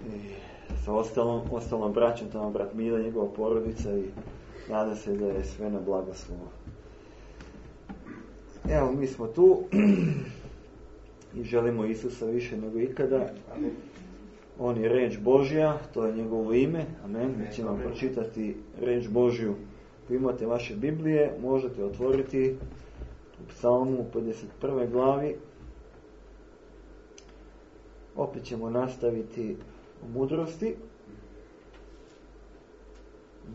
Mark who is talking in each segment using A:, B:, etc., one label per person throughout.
A: i sa ostalom braćom, tamo brat Mila, njegova porodica, i nada se da je sve na blagoslovu. Evo, mi smo tu i želimo Isusa više nego ikada. On je reč Božja, to je njegovo ime. Amen. Mi ćemo pročitati reč Božju. Ako imate vaše Biblije, možete otvoriti u Psalmu 51. glavi. Opet ćemo nastaviti o mudrosti,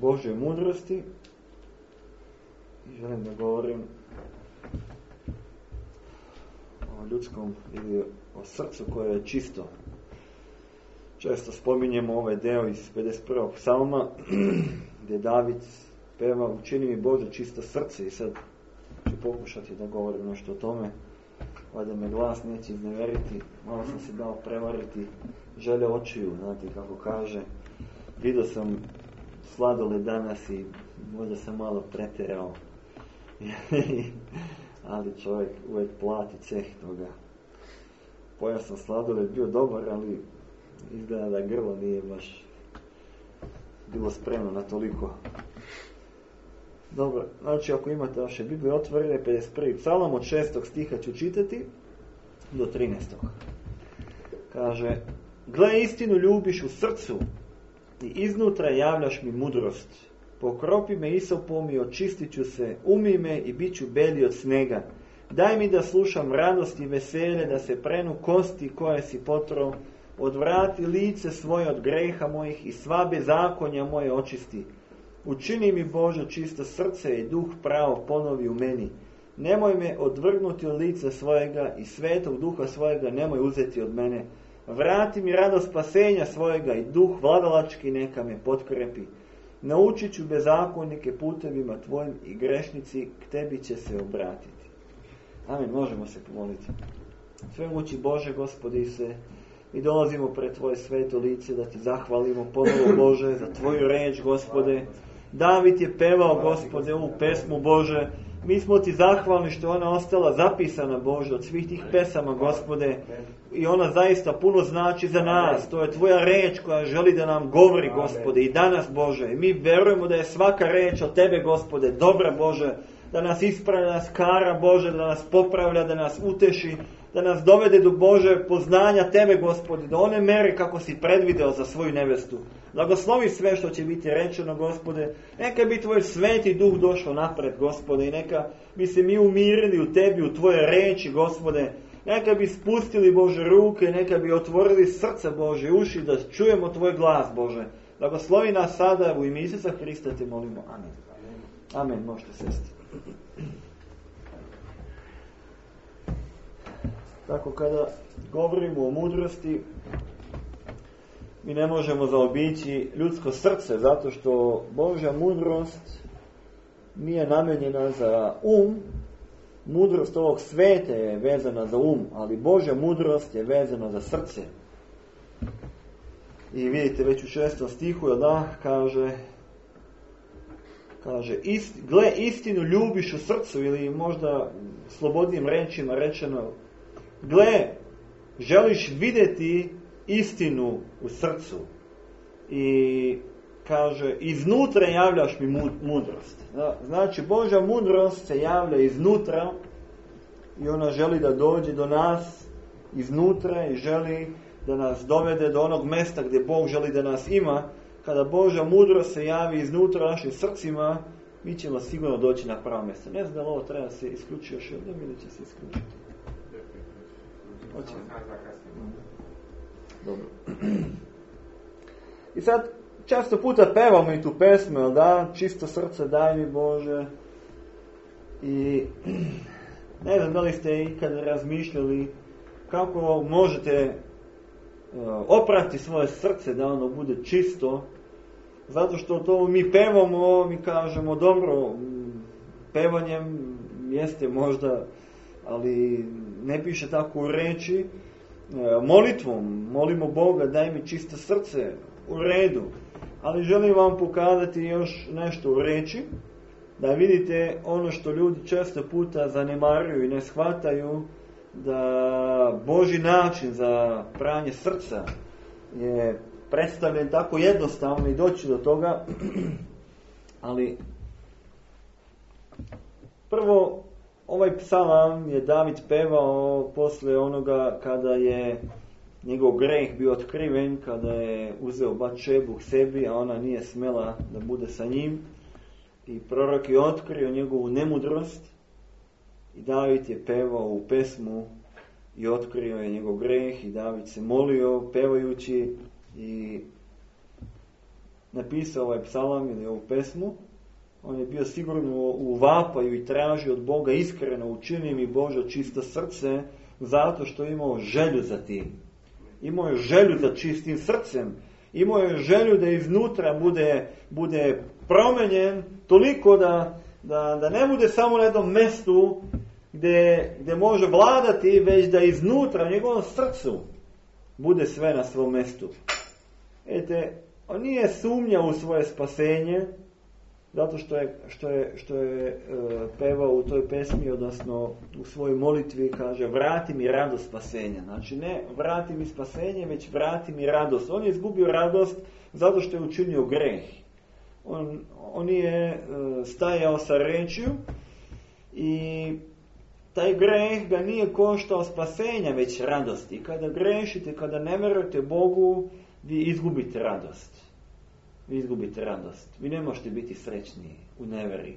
A: Božjoj mudrosti, i želim da govorim o ljudskom ili o srcu koje je čisto. Često spominjemo ovaj deo iz 51. psalma gdje David peva učini mi Bože čisto srce, i sad ću pokušati da govorim nešto o tome. Valjda me glas neće izneveriti, malo sam se dao prevariti želje očiju, znate kako kaže. Vidio sam sladoled danas i možda sam malo pretjerao. Ali čovjek uvijek plati ceh toga. Pojao sam sladoled, bio dobar, ali izgleda da grlo nije baš bilo spremno na toliko. Dobro, znači ako imate vaše Biblije otvorene, 51. psalam od 6. stiha ću čitati do 13. Kaže: gle, istinu ljubiš u srcu i iznutra javljaš mi mudrost. Pokropi me isopom i očistit ću se, umij me i bit ću belji od snega. Daj mi da slušam radost i veselje, da se prenu kosti koje si potrao. Odvrati lice svoje od greha mojih i sva bezakonja moje očisti. Učini mi Bože čisto srce i duh pravo ponovi u meni. Nemoj me odvrgnuti od lica svojega i svetog duha svojega nemoj uzeti od mene. Vrati mi radost spasenja svojega i duh vladalački neka me potkrepi. Naučit ću bezakonike putevima tvojim i grešnici k tebi će se obratiti. Amen, možemo se pomoliti. Svemogući Bože, Gospodi Isuse, mi dolazimo pred tvoje sveto lice da ti zahvalimo ponovo, Bože, za tvoju reč, Gospode. David je pevao, Gospode, ovu pesmu, Bože. Mi smo ti zahvalni što je ona ostala zapisana, Bože, od svih tih pesama, Gospode. I ona zaista puno znači za nas. To je tvoja reč koja želi da nam govori, Gospode, i danas, Bože. I mi verujemo da je svaka reč od tebe, Gospode, dobra, Bože, da nas ispravlja, da nas kara, Bože, da nas popravlja, da nas uteši, da nas dovede do Bože poznanja tebe, Gospode, do one mere kako si predvideo za svoju nevestu. Blagoslovi sve što će biti rečeno, Gospode. Neka bi tvoj sveti duh došao napred, Gospode, i neka bi se mi umirili u tebi, u tvoje reči, Gospode. Neka bi spustili, Bože, ruke, neka bi otvorili srce, Bože, uši da čujemo tvoj glas, Bože. Blagoslovi nas sada, u ime Isusa Hrista te molimo. Amen. Amen, možete sesti. Tako, kada govorimo o mudrosti, mi ne možemo zaobići ljudsko srce, zato što Božja mudrost nije namijenjena za mudrost ovog sveta je vezana za ali Božja mudrost je vezana za srce. I vidite već u 6. stihu, kaže gle, istinu ljubiš u srcu, ili možda slobodnim rečima rečeno, gle, želiš vidjeti istinu u srcu. I kaže, iznutra javljaš mi mudrost. Znači, Božja mudrost se javlja iznutra i ona želi da dođe do nas iznutra i želi da nas dovede do onog mjesta gdje Bog želi da nas ima. Kada Božja mudrost se javi iznutra našim srcima, mi ćemo sigurno doći na pravo mjesto. Ne znam da li ovo treba se isključiti još jednom ili će se isključiti. Dobro. I sad često puta pevamo i tu pesmu, jel da? Čisto srce daj mi, Bože. I ne znam da li ste ikad razmišljali kako možete oprati svoje srce da ono bude čisto. Zato što to mi pevamo, mi kažemo dobro, pevanjem jeste možda, ali ne piše tako u reči. Molitvom molimo Boga, daj mi čisto srce, u redu. Ali želim vam pokazati još nešto u reči, da vidite ono što ljudi često puta zanemaruju i ne shvataju, da Božji način za pranje srca je predstavljen tako jednostavno i doći do toga, ali prvo ovaj psalam je David pevao posle onoga kada je njegov greh bio otkriven, kada je uzeo Batšebu k sebi, a ona nije smela da bude sa njim. I prorok je otkrio njegovu nemudrost i David je pevao u pesmu i otkrio je njegov greh i David se molio pevajući i napisao ovaj psalam ili ovu pesmu. On je bio sigurno u vapaju i tražio od Boga iskreno, učini mi Bože čisto srce, zato što je imao želju za tim. Imao je želju za čistim srcem. Imao je želju da iznutra bude promenjen toliko da ne bude samo na jednom mestu gdje može vladati, već da iznutra u njegovom srcu bude sve na svom mestu. On nije sumnjao u svoje spasenje, zato što je pevao u toj pesmi, odnosno u svojoj molitvi, kaže vrati mi radost spasenja. Znači ne vrati mi spasenje, već vrati mi radost. On je izgubio radost zato što je učinio greh. On je stajao sa rečju i taj greh ga nije koštao spasenja, već radosti. Kada grešite, kada ne vjerujete Bogu, vi izgubite radost. Vi ne možete biti srećni u neveri.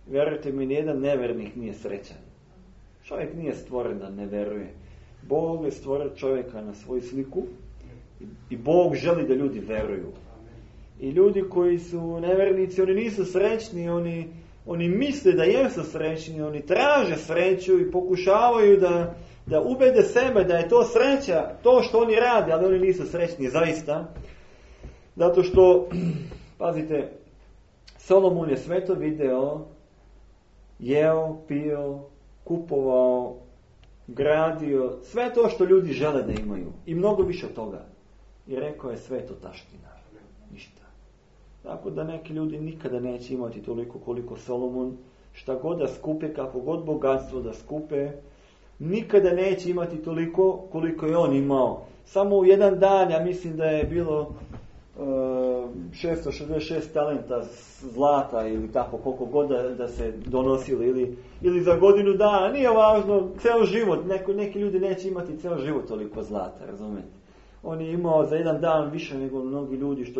A: Vjerujte mi, nijedan nevernik nije srećan. Čovjek nije stvoren da ne veruje. Bog je stvorio čovjeka na svoju sliku i Bog želi da ljudi veruju. I ljudi koji su nevernici, oni nisu srećni, oni misle da jesu srećni, oni traže sreću i pokušavaju da ubede sebe da je to sreća, to što oni rade, ali oni nisu srećni zaista. Zato što, pazite, Solomon je sve to video, jeo, pio, kupovao, gradio, sve to što ljudi žele da imaju. I mnogo više od toga. I rekao je sve to taština. Ništa. Tako da neki ljudi nikada neće imati toliko koliko Solomon. Šta god da skupe, kako god bogatstvo da skupe, nikada neće imati toliko koliko je on imao. Samo u jedan dan, ja mislim da je bilo 666 talenta zlata ili tako koliko god da se donosili ili za godinu dana, nije važno, ceo život, neki ljudi neće imati ceo život toliko zlata, razumete? On je imao za jedan dan više nego mnogi ljudi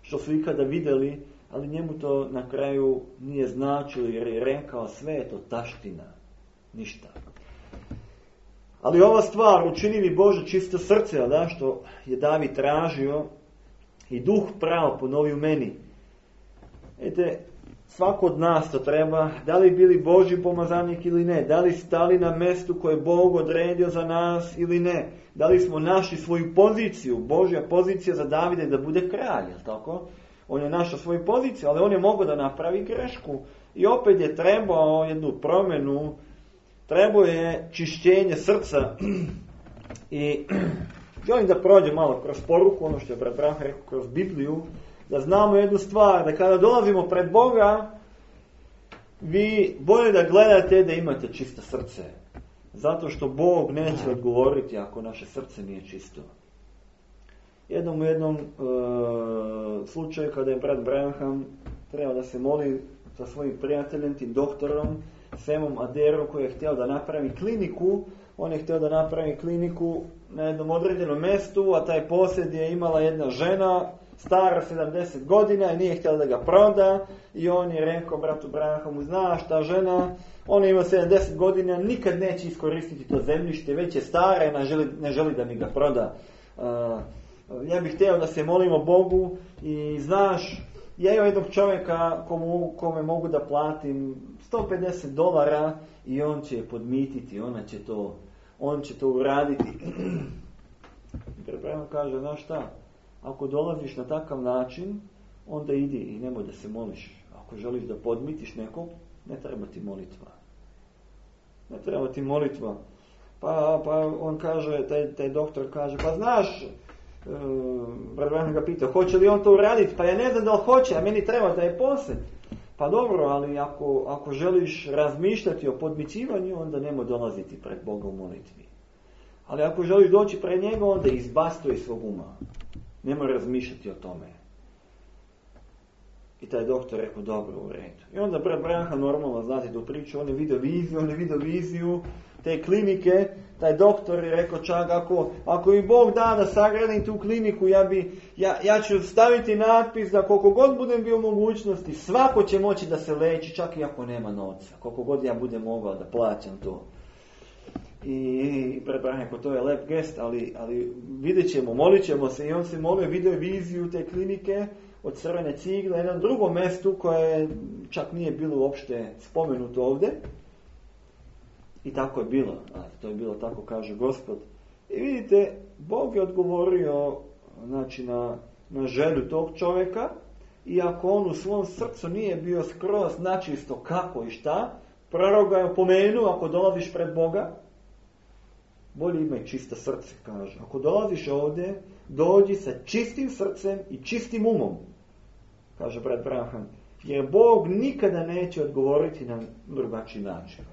A: što su ikada vidjeli, ali njemu to na kraju nije značilo jer je rekao sve je to taština, ništa. Ali ova stvar, učini mi Bože čisto srce, da, što je David tražio, i duh pravo ponovi u meni. Svako od nas to treba, da li bili Božji pomazanik ili ne, da li stali na mestu koje je Bog odredio za nas ili ne, da li smo našli svoju poziciju. Božja pozicija za Davida je da bude kralj, je li tako? On je našao svoju poziciju, ali on je mogao da napravi grešku. I opet je trebao jednu promjenu, trebao je čišćenje srca. I želim da prođem malo kroz poruku, ono što je brat Branha rekao, kroz Bibliju, da znamo jednu stvar, da kada dolazimo pred Boga, vi bolje da gledate da imate čisto srce. Zato što Bog neće odgovoriti ako naše srce nije čisto. U jednom slučaju kada je brat Branham trebao da se moli sa svojim prijateljem, tim doktorom, Semom Aderom, koji je htio da napravi kliniku. On je htio da napravi kliniku na jednom određenom mjestu, a taj posjed je imala jedna žena, stara 70 godina i nije htjela da ga proda. I on je rekao bratu Branhamu, znaš, ta žena, ona ima 70 godina, nikad neće iskoristiti to zemljište, već je stara i ne želi da mi ga proda. Ja bih htio da se molimo Bogu i znaš, ja imam jednog čovjeka kome mogu da platim $150 i on će je podmititi, on će to uraditi. Prema kaže, znaš šta, ako dolaziš na takav način, onda idi i nemoj da se moliš. Ako želiš da podmitiš nekog, ne treba ti molitva. Pa on kaže, taj doktor kaže, pa znaš, Branham ga pita, hoće li on to uraditi? Pa ja ne znam da li hoće, a meni treba da je posjed. Pa dobro, ali ako želiš razmišljati o podmićivanju, onda nemoj dolaziti pred Boga u molitvi. Ali ako želiš doći pred njega, onda izbaci to iz svog uma. Nemoj razmišljati o tome. I taj doktor rekao, dobro, u redu. I onda brat Branham, normalno, znate tu priču, on je vidio viziju te klinike. Taj doktor je rekao, čak ako mi Bog da sagradim tu kliniku, ja ću staviti natpis da koliko god budem bio u mogućnosti, svako će moći da se leči, čak i ako nema novca. Koliko god ja budem mogao da plaćam to. I brat Branham rekao, to je lep gest, ali vidjet ćemo, molit ćemo se. I on se molio, vidio je viziju te klinike od crvene cigle na jednom drugom mjestu koje čak nije bilo uopšte spomenuto ovdje. I tako je bilo. To je bilo tako, kaže Gospod. I vidite, Bog je odgovorio na želju tog čovjeka, iako on u svom srcu nije bio skroz načisto kako i šta, prorok ga je opomenuo, ako dolaziš pred Boga, bolje imaj čisto srce, kaže. Ako dolaziš ovdje, dođi sa čistim srcem i čistim umom, kaže brat Branham. Jer Bog nikada neće odgovoriti na drugačiji način.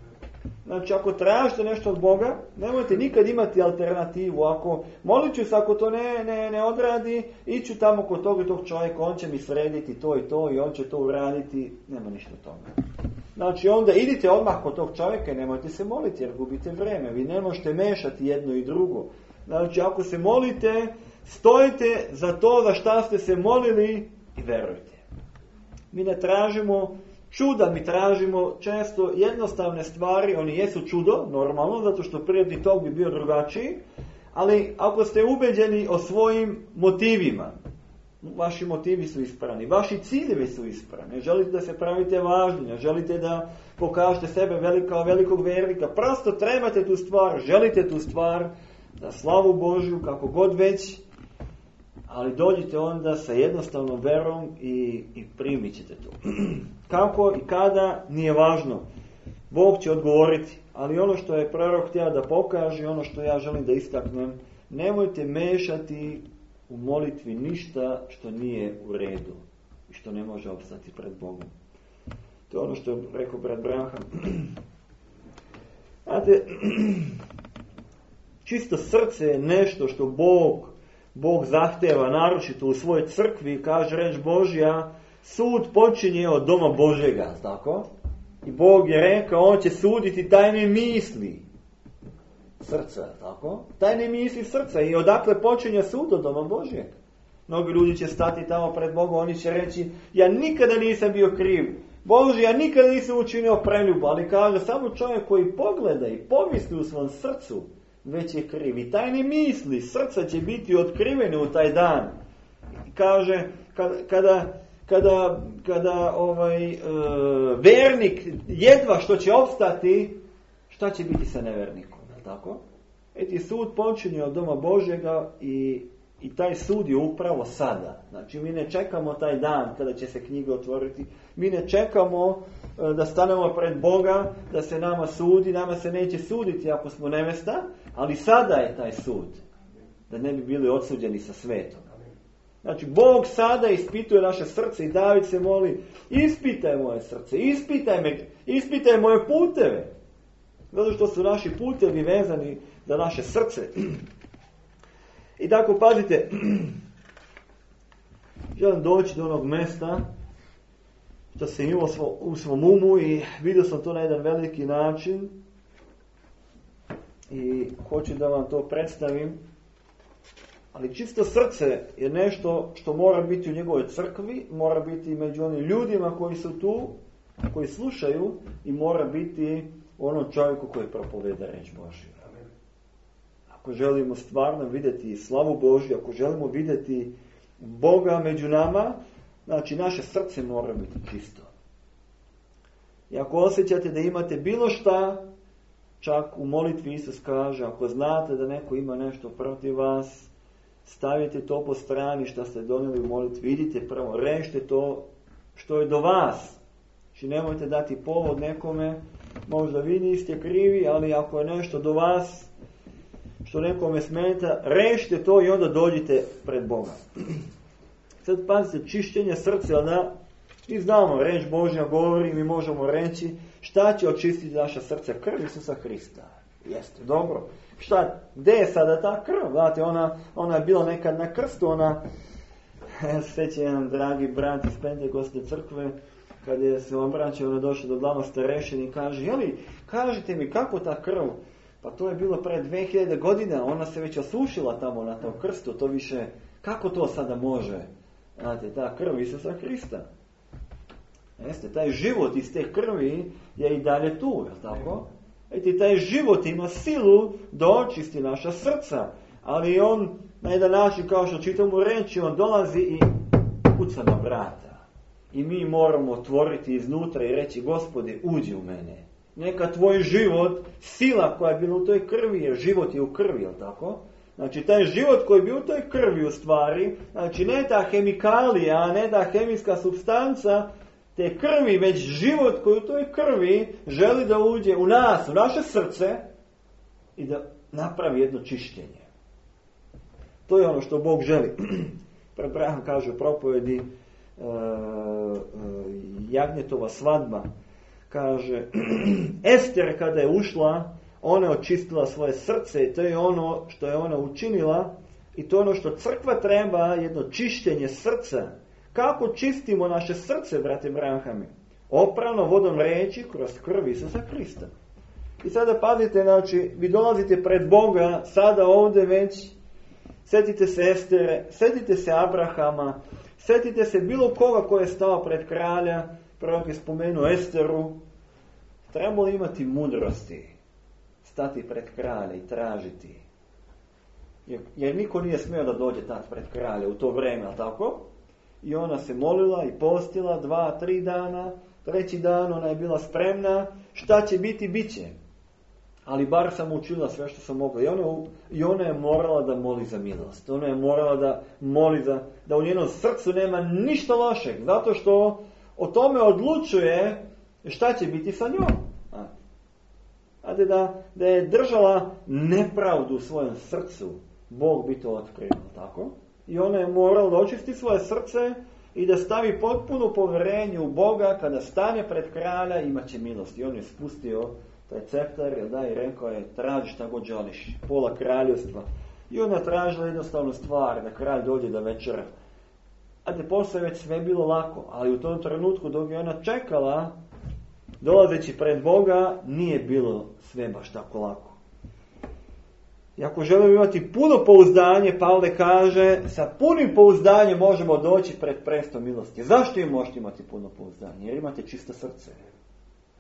A: Znači, ako tražite nešto od Boga, nemojte nikad imati alternativu. Ako molit ću se, ako to ne odradi, iću tamo kod tog i tog čovjeka, on će mi srediti to i to i on će to uraditi, nema ništa od toga. Znači, onda idite odmah kod tog čovjeka i nemojte se moliti jer gubite vreme. Vi ne možete mešati jedno i drugo. Znači, ako se molite, stojite za to za šta ste se molili i verujte. Mi ne tražimo čuda, mi tražimo često jednostavne stvari, oni jesu čudo, normalno, zato što prirodni tok bi bio drugačiji, ali ako ste ubeđeni o svojim motivima, vaši motivi su ispravni, vaši ciljevi su ispravni, ne želite da se pravite važni, ne želite da pokažete sebe kao velikog vernika, prosto trebate tu stvar, želite tu stvar, za slavu Božju, kako god već, ali dođite onda sa jednostavnom verom i primit ćete to. Kako i kada, nije važno. Bog će odgovoriti. Ali ono što je prorok htio da pokaže, ono što ja želim da istaknem, nemojte mešati u molitvi ništa što nije u redu i što ne može opstati pred Bogom. To je ono što je rekao brat Branham. Znate, čisto srce je nešto što Bog zahteva, naročito u svojoj crkvi, kaže reč Božja, sud počinje od doma Božjega, tako? I Bog je rekao, on će suditi tajne misli srca, tako? Tajne misli srca i odakle počinje sud od doma Božjeg. Mnogi ljudi će stati tamo pred Bogom, oni će reći, ja nikada nisam bio kriv. Bože, ja nikada nisam učinio preljubu, ali kaže, samo čovjek koji pogleda i pomisli u svom srcu, već je kriv. I tajne misli srca će biti otkrivene u taj dan. Kaže, kada vernik jedva što će opstati, šta će biti sa nevernikom, tako? Eti sud počinje od doma Božjega i taj sud je upravo sada. Znači, mi ne čekamo taj dan kada će se knjige otvoriti. Mi ne čekamo da stanemo pred Boga, da se nama sudi. Nama se neće suditi ako smo nevesta, ali sada je taj sud. Da ne bi bili odsuđeni sa svetom. Znači, Bog sada ispituje naše srce i David se moli, ispitaj moje srce, ispitaj moje puteve. Zato što su naši putevi vezani za naše srce. I tako, pazite, želim doći do onog mjesta što sam imao u svom umu i vidio sam to na jedan veliki način i hoću da vam to predstavim. Ali čisto srce je nešto što mora biti u njegovoj crkvi, mora biti među onim ljudima koji su tu, koji slušaju i mora biti onom čovjeku koji propoveda reč Božju. Ako želimo stvarno vidjeti slavu Božju, ako želimo vidjeti Boga među nama, znači naše srce mora biti čisto. I ako osjećate da imate bilo šta, čak u molitvi Isus kaže, ako znate da neko ima nešto protiv vas, stavite to po strani što ste donijeli u molitvi, idite prvo, rešite to što je do vas. Znači nemojte dati povod nekome, možda vi niste krivi, ali ako je nešto do vas, što nekome smeta, rešite to i onda dođite pred Boga. Sad pazite, čišćenje srca, da mi znamo, reč Božja govori, mi možemo reći šta će očistiti naša srca, krv Isusa Hrista. Jeste, dobro. Gdje je sada ta krv? Znate, ona je bila nekad na krstu, sveće jedan dragi brat iz Pentekostne crkve, kad je se obraćao, došao do glavnog starešine i kaže, kažite mi kako ta krv? Pa to je bilo pred 2000 godina, ona se već osušila tamo na tom krstu, to više, kako to sada može? Znate, ta krv Isusa Hrista. Jeste, taj život iz te krvi je i dalje tu, je tako? Taj život ima silu da očisti naša srca, ali on na jedan način, kao što čitamo reći, on dolazi i kuca na vrata. I mi moramo otvoriti iznutra i reći, Gospode, uđi u mene. Neka tvoj život, sila koja je bila u toj krvi, jer život je u krvi, je tako? Znači, taj život koji je bio u toj krvi u stvari, znači ne ta hemikalija, ne ta hemijska supstanca, te krvi, već život koji u toj krvi želi da uđe u nas, u naše srce i da napravi jedno čišćenje. To je ono što Bog želi. Abraham kaže u propovedi Jagnjetova svadba, kaže, Ester kada je ušla, ona je očistila svoje srce i to je ono što je ona učinila i to je ono što crkva treba, jedno čišćenje srca. Kako čistimo naše srce, brate Brahami? Oprano vodom reči kroz krv Isusa Hrista. I sada pazite, znači, vi dolazite pred Boga, sada ovdje već, sjetite se Estere, sjetite se Abrahama, sjetite se bilo koga ko je stao pred kralja, prorok je spomenuo Esteru. Trebalo imati mudrosti, stati pred kralja i tražiti. Jer niko nije smio da dođe tad pred kralja u to vrijeme, ali tako? I ona se molila i postila 2-3 dana, 3. dan ona je bila spremna, šta će biti, bit će. Ali bar sam učila sve što sam mogla. I ona je morala da moli za milost. Ona je morala da moli da u njenom srcu nema ništa lošeg. Zato što o tome odlučuje šta će biti sa njom. Znate, da je držala nepravdu u svojem srcu, Bog bi to otkrio, tako? I ona je morala da očisti svoje srce i da stavi potpuno povjerenje u Boga. Kada stane pred kralja, imat će milost. I on je spustio taj ceptar, i rekao je, traži šta god želiš, pola kraljevstva. I ona tražila jednostavnu stvar, da kralj dođe da večera. Znate, posle već sve bilo lako, ali u tom trenutku dok je ona čekala, dolazeći pred Boga, nije bilo sve baš tako lako. I ako želimo imati puno pouzdanje, Pavle kaže, sa punim pouzdanjem možemo doći pred presto milosti. Zašto im možete imati puno pouzdanje? Jer imate čisto srce.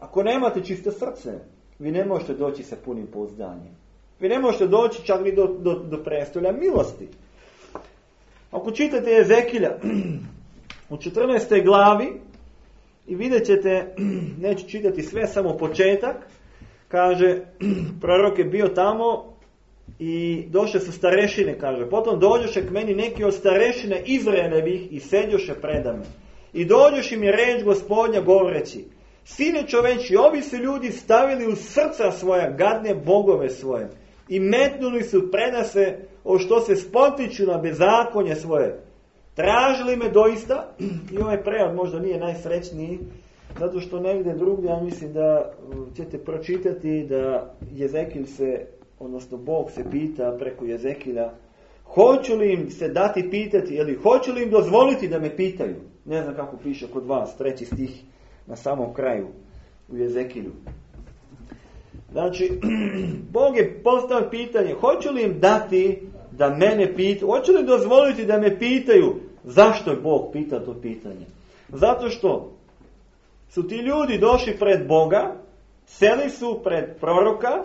A: Ako nemate čisto srce, vi ne možete doći sa punim pouzdanjem. Vi ne možete doći čak ni do prestolja milosti. Ako čitate Jezekilja u 14. glavi i vidjet ćete, neću čitati sve, samo početak, kaže, prorok je bio tamo i došle su starešine, kaže, potom dođoše k meni neki od starešine Izraelevih i sedjoše predame. I dođoše mi reč Gospodnja govoreći, sine čoveči, ovi su ljudi stavili u srca svoja gadne bogove svoje i metnuli su predase o što se spotiču na bezakonje svoje. Tražili me doista, i ovaj prevod možda nije najsrećniji, zato što negdje drugdje, ja mislim da ćete pročitati da Jezekil se, odnosno Bog se pita preko Jezekila, hoću li im se dati pitati, ili hoću li im dozvoliti da me pitaju? Ne znam kako piše kod vas, 3. stih na samom kraju u Jezekilju. Znači, Bog je postavio pitanje, hoću li im dati da mene pitaju, hoću li dozvoliti da me pitaju? Zašto je Bog pitao to pitanje? Zato što su ti ljudi došli pred Boga, seli su pred proroka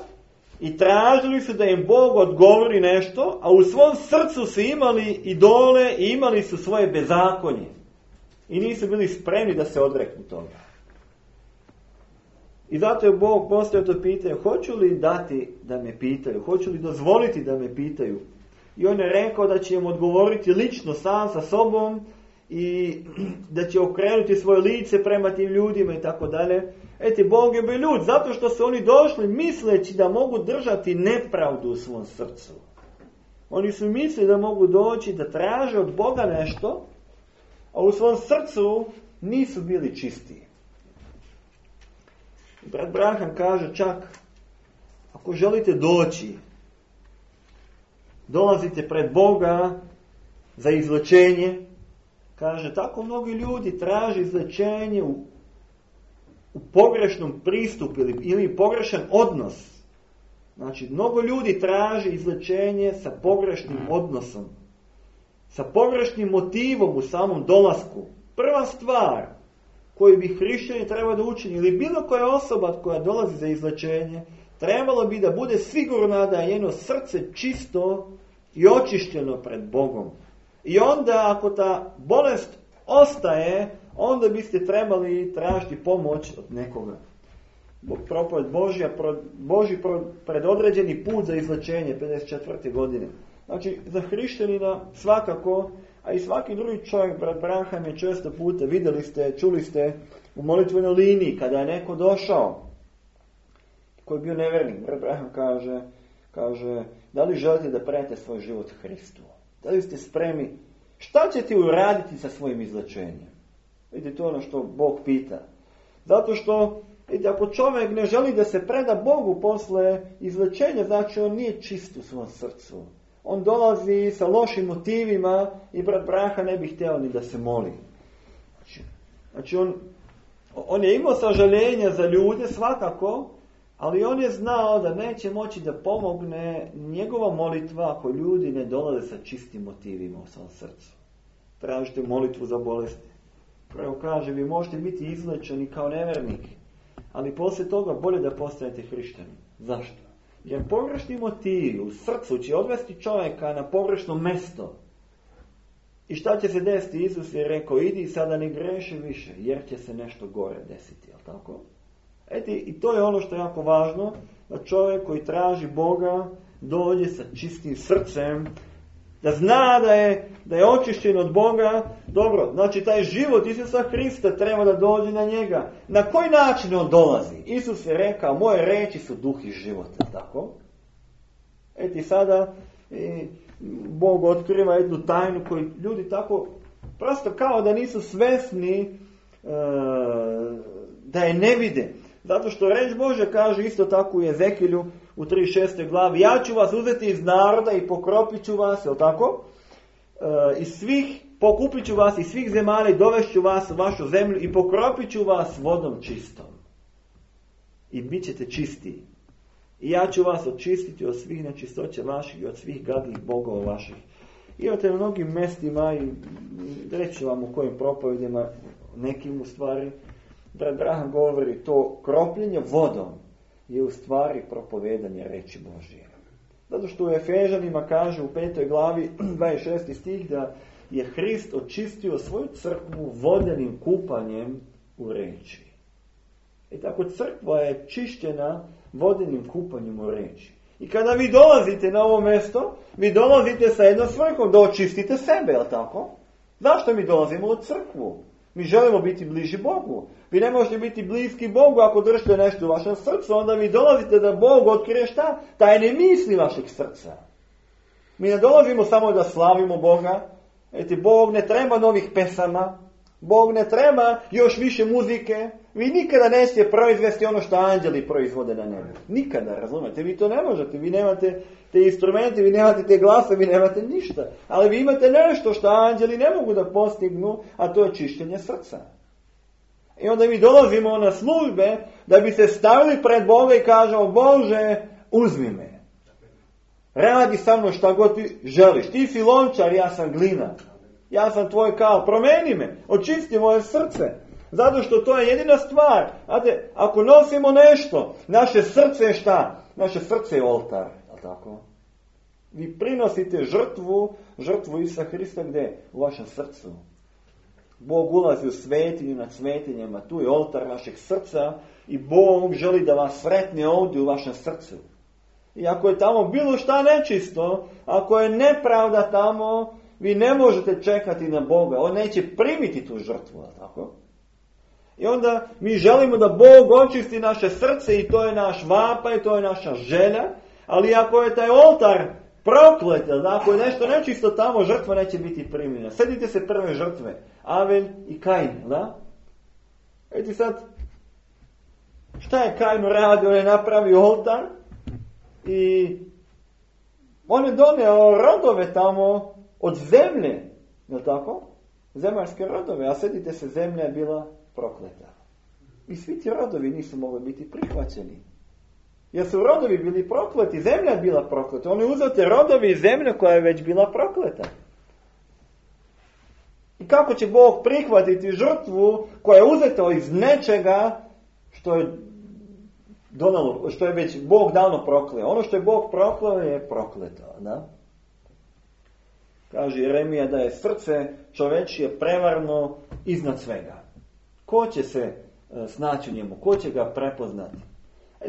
A: i tražili su da im Bog odgovori nešto, a u svom srcu su imali idole i imali su svoje bezakonje. I nisu bili spremni da se odreknu toga. I zato je Bog postavio to pitanje, hoću li dati da me pitaju, hoću li dozvoliti da me pitaju. I on je rekao da će im odgovoriti lično sam sa sobom i da će okrenuti svoje lice prema tim ljudima i tako dalje. Bog je bio ljud, zato što su oni došli misleći da mogu držati nepravdu u svom srcu. Oni su mislili da mogu doći da traže od Boga nešto, a u svom srcu nisu bili čisti. Brat Braham kaže čak, ako želite doći dolazite pred Boga za izlečenje. Kaže, tako mnogi ljudi traže izlečenje u pogrešnom pristupu ili pogrešan odnos. Znači, mnogo ljudi traži izlečenje sa pogrešnim odnosom, sa pogrešnim motivom u samom dolasku. Prva stvar koju bi hrišćani trebalo da učini, ili bilo koja osoba koja dolazi za izlečenje, trebalo bi da bude sigurna da je njeno srce čisto i očišćeno pred Bogom. I onda, ako ta bolest ostaje, onda biste trebali tražiti pomoć od nekoga. Propoved Božji predodređeni put za izlečenje 54. godine. Znači, za hrišćanina svakako, a i svaki drugi čovjek, brat Branham je često puta, vidjeli ste, čuli ste u molitvenoj liniji, kada je neko došao, koji je bio nevernik, brat Branham kaže, da li želite da predate svoj život Hristu? Da li ste spremni? Šta ćete uraditi sa svojim izlečenjem? Vidite, to je ono što Bog pita. Zato što, vidite, ako čovjek ne želi da se preda Bogu posle izlečenja, znači on nije čist u svom srcu. On dolazi sa lošim motivima i brat Branham ne bi htio ni da se moli. Znači on je imao sažaljenja za ljude svakako, ali on je znao da neće moći da pomogne njegova molitva ako ljudi ne dolaze sa čistim motivima u svom srcu. Tražite molitvu za bolesti. Prvo kaže, vi možete biti izlečeni kao nevernik, ali poslije toga bolje da postanete hrišćani. Zašto? Jer pogrešni motivi u srcu će odvesti čovjeka na pogrešno mesto. I šta će se desiti? Isus je rekao, idi sada ne greši više, jer će se nešto gore desiti. Jel tako? I to je ono što je jako važno, da čovjek koji traži Boga dođe sa čistim srcem, da zna da je očišćen od Boga. Dobro, znači taj život Isusa Hrista treba da dođe na njega. Na koji način on dolazi? Isus je rekao, moje reči su duh i život, tako? Sada Bog otkriva jednu tajnu koju ljudi tako prosto kao da nisu svesni da je ne vide. Zato što reč Božja kaže isto tako u Ezekilju u 36. glavi, ja ću vas uzeti iz naroda i pokropit ću vas, je li tako? Pokupit ću vas iz svih zemalja i dovešću vas u vašu zemlju i pokropit ću vas vodom čistom. I bit ćete čisti. I ja ću vas očistiti od svih nečistoća vaših i od svih gadnih bogova vaših. Imate na mnogim mestima i reći vam u kojim propovedima, nekim u stvari, brat Branham govori to kropljenje vodom je u stvari propovedanje reči Božje. Zato što u Efežanima kaže u 5. glavi 26. stih da je Hrist očistio svoju crkvu vodenim kupanjem u reči. I tako crkva je čišćena vodenim kupanjem u reči. I kada vi dolazite na ovo mjesto, vi dolazite sa jednom svrhom da očistite sebe, je li tako? Zašto mi dolazimo u crkvu? Mi želimo biti bliži Bogu. Vi ne možete biti bliski Bogu ako držite nešto u vašem srcu, onda vi dolazite da Bog otkrije šta? Tajne misli vašeg srca. Mi ne dolazimo samo da slavimo Boga. Bog ne treba novih pesama. Bog ne treba još više muzike. Vi nikada nećete proizvesti ono što anđeli proizvode na nebu. Nikada, razumete? Vi to ne možete. Vi nemate te instrumente, vi nemate te glase, vi nemate ništa. Ali vi imate nešto što anđeli ne mogu da postignu, a to je čišćenje srca. I onda mi dolazimo na službe da bi se stavili pred Boga i kažemo, Bože, uzmi me. Radi sa mnom šta god ti želiš. Ti si lončar, ja sam glina. Ja sam tvoj kal, promeni me, očisti moje srce. Zato što to je jedina stvar. Znate, ako nosimo nešto, naše srce je šta? Naše srce je oltar. Tako? Vi prinosite žrtvu Isusa Hrista gdje? U vašem srcu. Bog ulazi u svetinju nad svetinjama, tu je oltar našeg srca i Bog želi da vas sretne ovdje u vašem srcu. I ako je tamo bilo šta nečisto, ako je nepravda tamo, vi ne možete čekati na Boga. On neće primiti tu žrtvu, tako? I onda mi želimo da Bog očisti naše srce i to je naš vapaj, to je naša želja, ali ako je taj oltar proklet, ako je nešto nečisto tamo, žrtva neće biti primljena. Sjetite se prve žrtve, Avel i Kain, da? Vidite sad, šta je Kain uradio? On je napravio oltar i On je donio rodove tamo od zemlje, je li tako? Zemaljske rodove, a sjetite se, zemlja je bila prokleta. I svi ti rodovi nisu mogli biti prihvaćeni. Jer su rodovi bili prokleti, zemlja je bila prokleta. On je uzeo te rodovi iz zemlje koja je već bila prokleta. I kako će Bog prihvatiti žrtvu koja je uzeta iz nečega što je već Bog davno prokleo. Ono što je Bog prokleo je prokleto. Da? Kaže Jeremija da je srce čovečije prevarno iznad svega. Ko će se snaći u njemu? Ko će ga prepoznati?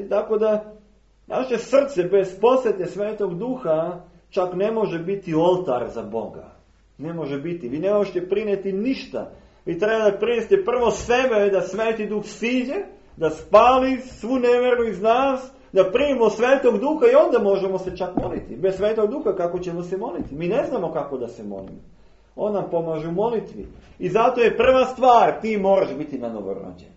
A: Tako da naše srce bez posjete Svetog Duha čak ne može biti oltar za Boga. Ne može biti. Vi ne možete prinijeti ništa. Vi treba da prinesete prvo sebe, da Sveti Duh siđe, da spali svu nevjeru iz nas, da primimo Svetog Duha i onda možemo se čak moliti. Bez Svetog Duha kako ćemo se moliti? Mi ne znamo kako da se molimo. On nam pomaže u molitvi. I zato je prva stvar, ti moraš biti nanovorođen.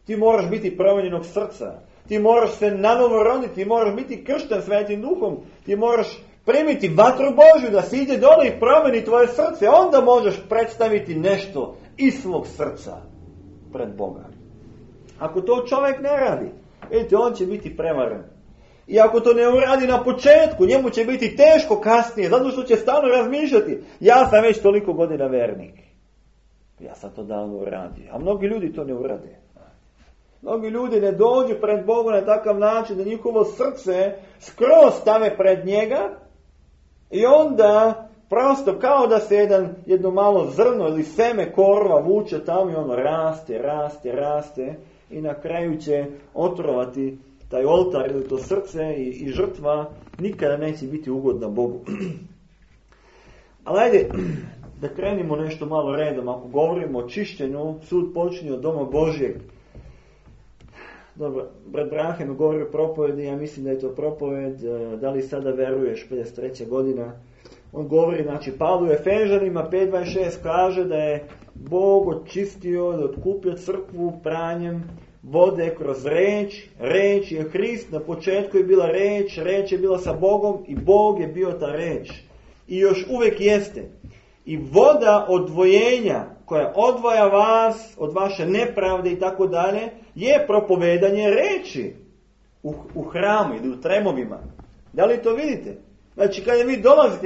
A: Ti moraš biti promijenjenog srca. Ti moraš se nanovo roditi, ti moraš biti kršten Svetim Duhom. Ti moraš primiti vatru Božju da si ide dole i promijeni tvoje srce. Onda možeš predstaviti nešto iz svog srca pred Boga. Ako to čovjek ne radi, vidite, on će biti prevaren. I ako to ne uradi na početku, njemu će biti teško kasnije, zato što će stalno razmišljati. Ja sam već toliko godina vernik. Ja sam to davno uradio. A mnogi ljudi to ne urade. Mnogi ljudi ne dođu pred Bogom na takav način da njihovo srce skroz stave pred njega i onda prosto kao da se jedno malo zrno ili seme korova vuče tamo i ono raste i na kraju će otrovati taj oltar ili to srce i žrtva nikada neće biti ugodna Bogu. Ali ajde da krenimo nešto malo redom. Ako govorimo o čišćenju, sud počinje od doma Božjeg. Dobro, brat Brahem govori o propovedi, ja mislim da je to propoved, da li sada veruješ, 53. godina. On govori, znači, Pavlu Efežanima 5.26 kaže da je Bog očistio, da otkupio crkvu pranjem vode kroz reč. Reč je Hrist, na početku je bila reč je bila sa Bogom i Bog je bio ta reč. I još uvijek jeste. I voda odvojenja koja odvaja vas od vaše nepravde i tako dalje je propovedanje reči u hramu ili u tremovima. Da li to vidite? Znači kada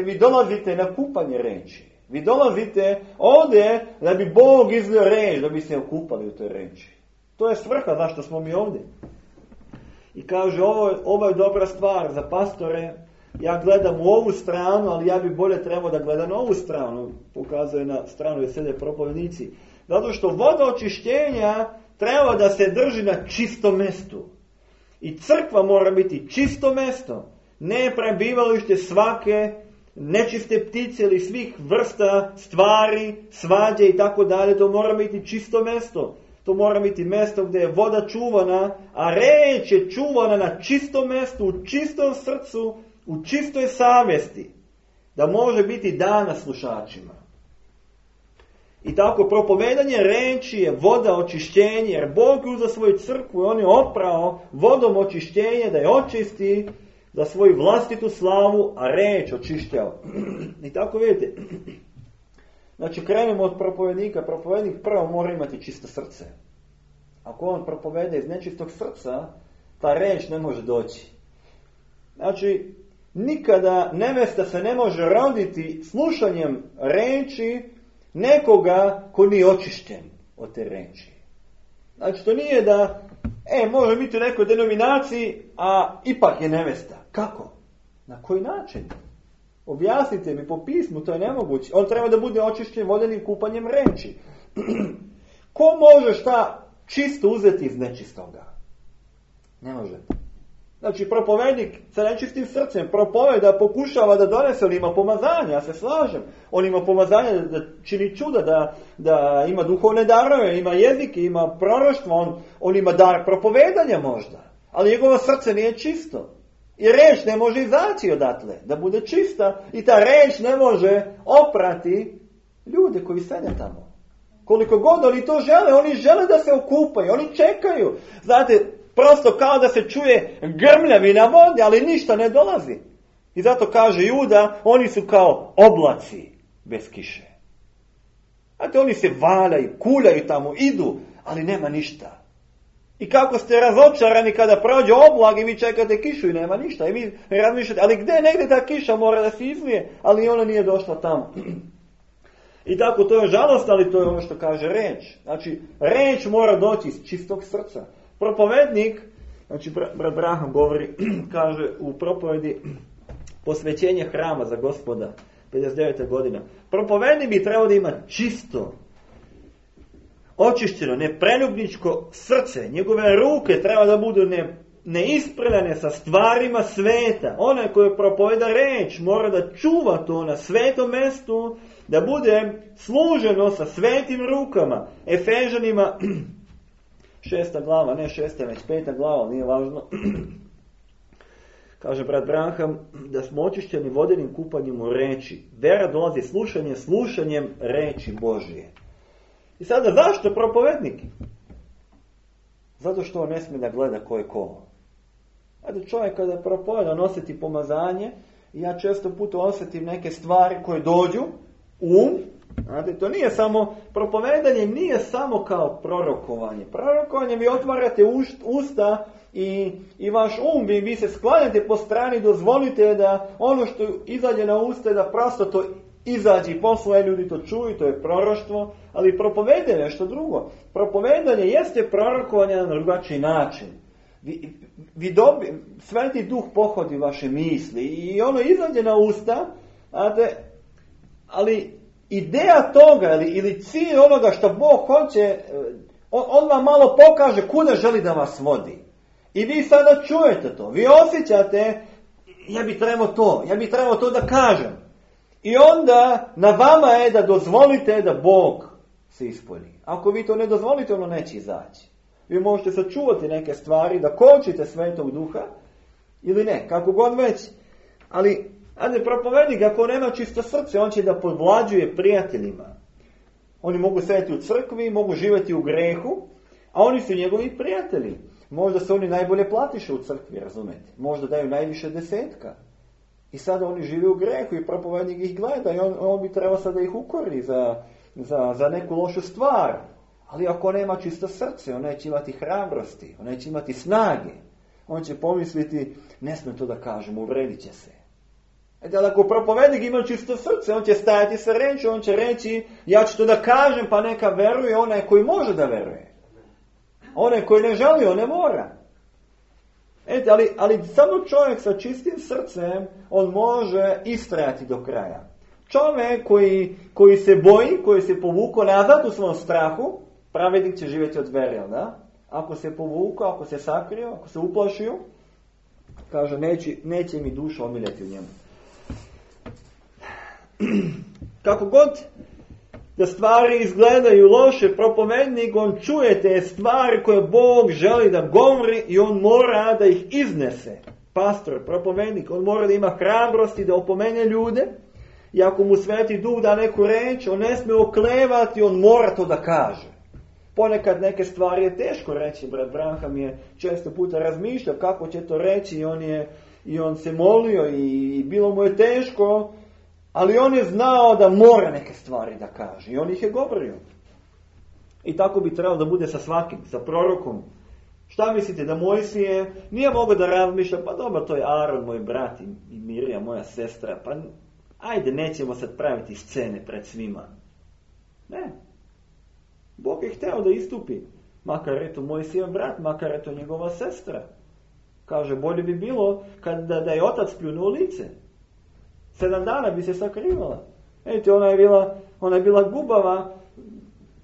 A: vi dolazite na kupanje reči. Vi dolazite ovdje da bi Bog izlio reč, da bi se okupali u toj reči. To je svrha zašto smo mi ovdje. I kaže ovo je dobra stvar za pastore. Ja gledam u ovu stranu, ali ja bi bolje trebao da gledam na ovu stranu. Pokazuje na stranu gdje sede propovednici. Zato što voda očišćenja treba da se drži na čistom mjestu. I crkva mora biti čisto mjesto. Ne prebivalište svake nečiste ptice ili svih vrsta stvari, svađe i tako dalje. To mora biti čisto mjesto. To mora biti mjesto gdje je voda čuvana, a reč je čuvana na čistom mjestu, u čistom srcu, u čistoj savjesti. Da može biti dana slušačima. I tako propovedanje reči je voda očišćenja, jer Bog je uzeo svoju crkvu i on je oprao vodom očišćenja da je očisti za svoju vlastitu slavu, a reč očišćava. I tako vidite. Znači krenemo od propovednika. Propovednik prvo mora imati čisto srce. Ako on propovede iz nečistog srca, ta reč ne može doći. Znači, nikada nevesta se ne može roditi slušanjem reči nekoga ko nije očišćen od te reči. Znači, to nije da, može biti u nekoj denominaciji, a ipak je nevesta. Kako? Na koji način? Objasnite mi po pismu, to je nemoguće. On treba da bude očišćen vodenim kupanjem reči. Ko može šta čisto uzeti iz nečistoga? Ne može. Znači, propovednik sa nečistim srcem propoveda, pokušava da donese, on ima pomazanje, ja se slažem. On ima pomazanje da čini čuda, da ima duhovne darove, ima jezike, ima proroštvo, on ima dar propovedanja možda. Ali njegovo srce nije čisto. I reč ne može izaći odatle, da bude čista. I ta reč ne može oprati ljude koji sede tamo. Koliko god oni to žele, oni žele da se okupaju, oni čekaju. Znate, prosto kao da se čuje grmljavina vode, ali ništa ne dolazi. I zato kaže Juda, oni su kao oblaci bez kiše. Znate, oni se valjaju, kuljaju tamo, idu, ali nema ništa. I kako ste razočarani kada prođe oblak i vi čekate kišu i nema ništa. I vi razmišljate, ali gdje negdje ta kiša mora da se izlije, ali ona nije došla tamo. I tako to je žalost, ali to je ono što kaže reč. Znači, reč mora doći iz čistog srca. Propovednik, znači brat Braham govori, kaže u propovedi posvećenje hrama za Gospoda, 59. godina. Propovednik bi trebao da ima čisto, očišćeno, nepreljubničko srce. Njegove ruke treba da budu neisprljane sa stvarima sveta. Onaj koji propoveda reč mora da čuva to na svetom mestu, da bude služeno sa svetim rukama. Efežanima 6. glava, ne 6. već 5. glava, nije važno. Kaže brat Branham da smo očišćeni vodenim kupanjem u reči. Vera dolazi slušanjem reči Božije. I sada zašto propovednik? Zato što on ne smije da gleda ko je ko. Ajde, čovjek kada propoveda nositi pomazanje, i ja često puta osjetim neke stvari koje dođu u znate, to nije samo, propovedanje nije samo kao prorokovanje. Prorokovanje vi otvarate usta i vaš vi se sklanjate po strani, dozvolite da ono što izađe na usta da prosto to izađe i posle ljudi to čuju, to je proroštvo, ali propovedanje je nešto drugo. Propovedanje jeste prorokovanje na drugačiji način. Sveti duh pohodi vaše misli i ono izađe na usta, ali ideja toga ili cilj onoga što Bog hoće, on vam malo pokaže kuda želi da vas vodi. I vi sada čujete to, vi osjećate, ja bi trebao to da kažem. I onda na vama je da dozvolite da Bog se ispuni. Ako vi to ne dozvolite, ono neće izaći. Vi možete sačuvati neke stvari, da kočite Svetog Duha, ili ne, kako god već. Ali, propovednik, ako nema čisto srce, on će da podvlađuje prijateljima. Oni mogu sedjeti u crkvi, mogu živjeti u grehu, a oni su njegovi prijatelji. Možda se oni najbolje platiše u crkvi, razumete? Možda daju najviše 10. I sada oni žive u grehu i propovednik ih gleda i on bi trebao sada ih ukori za neku lošu stvar. Ali ako nema čisto srce, on neće imati hrabrosti, on neće imati snage. On će pomisliti, ne smem to da kažem, uvredit će se. Ali ako propovednik ima čisto srce, on će stajati sa reči, on će reći, ja ću to da kažem, pa neka veruje onaj koji može da veruje. Onaj koji ne želi, on ne mora. Ali samo čovjek sa čistim srcem, on može istrajati do kraja. Čovjek koji se boji, koji se povukao nazad u svom strahu, pravednik će živjeti od vere, da? Ako se povukao, ako se sakrio, ako se uplašio, kaže, neće mi duša omiljeti u njemu. Kako god da stvari izgledaju loše, propovednik, on čuje te stvari koje Bog želi da govori i on mora da ih iznese. Pastor, propovednik, on mora da ima hrabrosti da opomene ljude i ako mu Sveti Duh da neku reč, on ne smije oklevati, on mora to da kaže. Ponekad neke stvari je teško reći, brat Branham je često puta razmišljao kako će to reći i on se molio i bilo mu je teško, ali on je znao da mora neke stvari da kaže i on ih je govorio. I tako bi trebalo da bude sa svakim, sa prorokom. Šta mislite, da Mojsije nije mogao da razmišlja, pa dobro, to je Aron, moj brat i Mirija, moja sestra, pa ajde, nećemo sad praviti scene pred svima. Ne. Bog je hteo da istupi. Makar je to Mojsijev brat, makar je to njegova sestra. Kaže, bolje bi bilo da je otac pljunuo lice. 7 dana bi se sakrivala. Vidite, ona je bila gubava.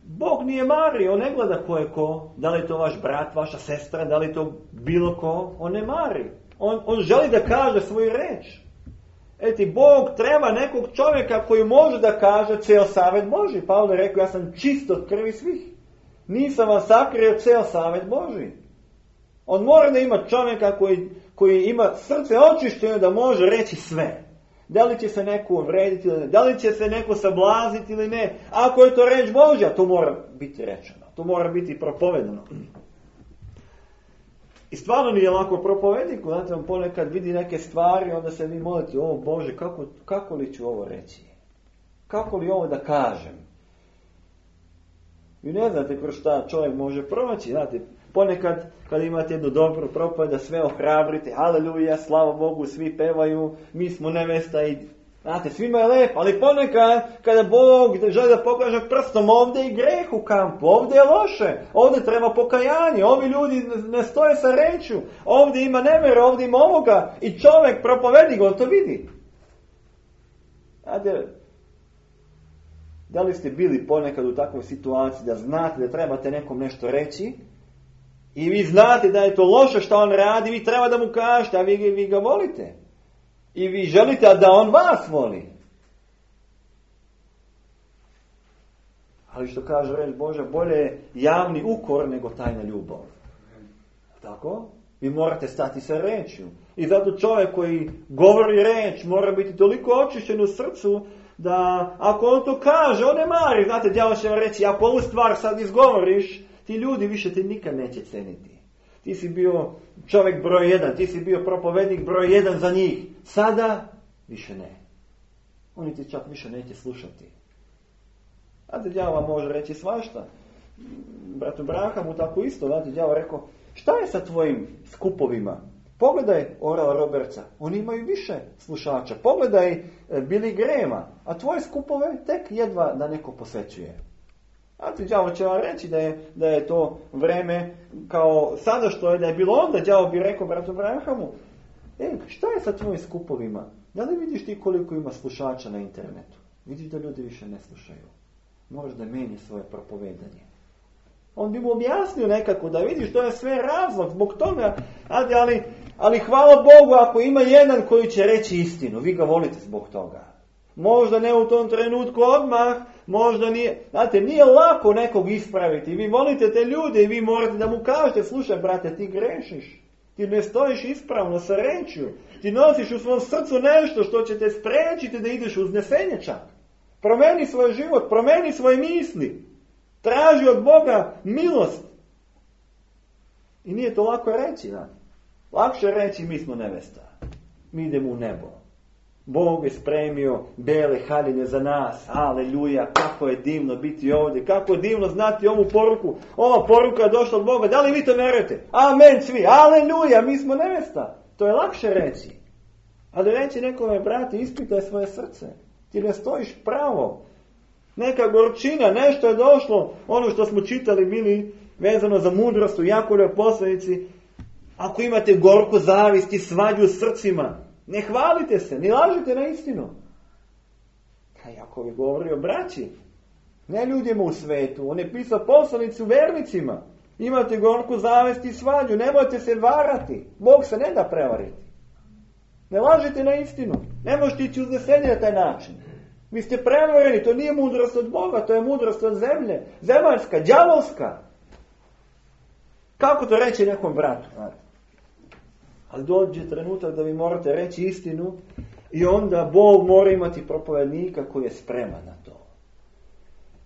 A: Bog nije mari, on ne gleda ko je ko. Da li je to vaš brat, vaša sestra, da li je to bilo ko. On ne mari. On želi da kaže svoju reč. Bog treba nekog čovjeka koji može da kaže ceo savet Božji. Pavle je rekao, ja sam čist od krvi svih. Nisam vam sakrio ceo savet Božji. On mora da ima čovjeka koji ima srce očišćeno da može reći sve. Da li će se neko uvrediti ili ne, da li će se neko sablaziti ili ne. Ako je to reč Božja, to mora biti rečeno. To mora biti propovedano. I stvarno nije lako propovjedniku, znate, on ponekad vidi neke stvari, onda se vi molite, o Bože, kako li ću ovo reći? Kako li ovo da kažem? Vi ne znate kroz šta čovjek može proći, znate, ponekad kad imate jednu dobru propovijed da sve ohrabrite, aleluja, slava Bogu, svi pevaju, mi smo nevesta i znate, svima je lepo, ali ponekad kada Bog želi da pokaže prstom, ovdje je greh u kampu, ovdje je loše, ovdje treba pokajanje, ovi ljudi ne stoje sa rečju, ovdje ima nevere, ovdje ima ovoga i čovjek propovednik, on to vidi. Znate, da li ste bili ponekad u takvoj situaciji da znate da trebate nekom nešto reći i vi znate da je to loše što on radi, vi treba da mu kažete, a vi ga volite. I vi želite da on vas voli. Ali što kaže reč Božja, bolje je javni ukor nego tajna ljubav. Tako? Vi morate stati sa rečju. I zato čovjek koji govori reč mora biti toliko očišćen u srcu da ako on to kaže, on ne mari. Znate, đavo će vam reći, ako ovu stvar sad izgovoriš, ti ljudi više te nikad neće ceniti. Ti si bio čovjek broj 1, ti si bio propovednik broj 1 za njih. Sada više ne. Oni ti čak više neće slušati. Znate, đavo vam može reći svašta. Bratu Brahamu tako isto, znate, đavo rekao, šta je sa tvojim skupovima? Pogledaj Orala Robertsa, oni imaju više slušača. Pogledaj Billy Grahama, a tvoje skupove tek jedva da neko posvećuje. Znate, đavo će vam reći da je to vreme kao sada što je da je bilo onda, đavo bi rekao bratu Brahamu, šta je sa tvojim skupovima? Da li vidiš ti koliko ima slušača na internetu? Vidiš da ljudi više ne slušaju. Moraš da meni svoje propovedanje. On bi mu objasnio nekako da vidiš, to je sve razlog zbog toga, ali hvala Bogu ako ima jedan koji će reći istinu, vi ga volite zbog toga. Možda ne u tom trenutku odmah, možda nije, znate, nije lako nekog ispraviti, vi volite te ljude i vi morate da mu kažete, slušaj brate, ti grešiš, ti ne stojiš ispravno sa rečju, ti nosiš u svom srcu nešto što će te spriječiti da ideš uznesenje čak. Promeni svoj život, promeni svoje misli. Traži od Boga milost. I nije to lako reći. Da? Lakše reći mi smo nevesta. Mi idemo u nebo. Bog je spremio bele haljine za nas. Aleluja, kako je divno biti ovdje. Kako je divno znati ovu poruku. Ova poruka je došla od Boga. Da li vi to vjerujete? Amen svi. Aleluja, mi smo nevesta. To je lakše reći. Ali reći nekome, brate, ispitaj svoje srce. Ti ne stojiš pravo. Neka gorčina, nešto je došlo, ono što smo čitali bili vezano za mudrost u Jakovljevoj poslanici. Ako imate gorku zavist i svađu u srcima, ne hvalite se, ne lažite na istinu. A Jakov je govorio o braći, ne ljudima u svetu, on je pisao poslanicu vernicima. Imate gorku zavist i svađu, nemojte se varati, Bog se ne da prevariti. Ne lažite na istinu, ne možete ići uznesenje na taj način. Vi ste prevareni, to nije mudrost od Boga, to je mudrost od zemlje, zemaljska, đavolska. Kako to reći nekom bratu? Ali dođe trenutak da vi morate reći istinu i onda Bog mora imati propovednika koji je spreman na to.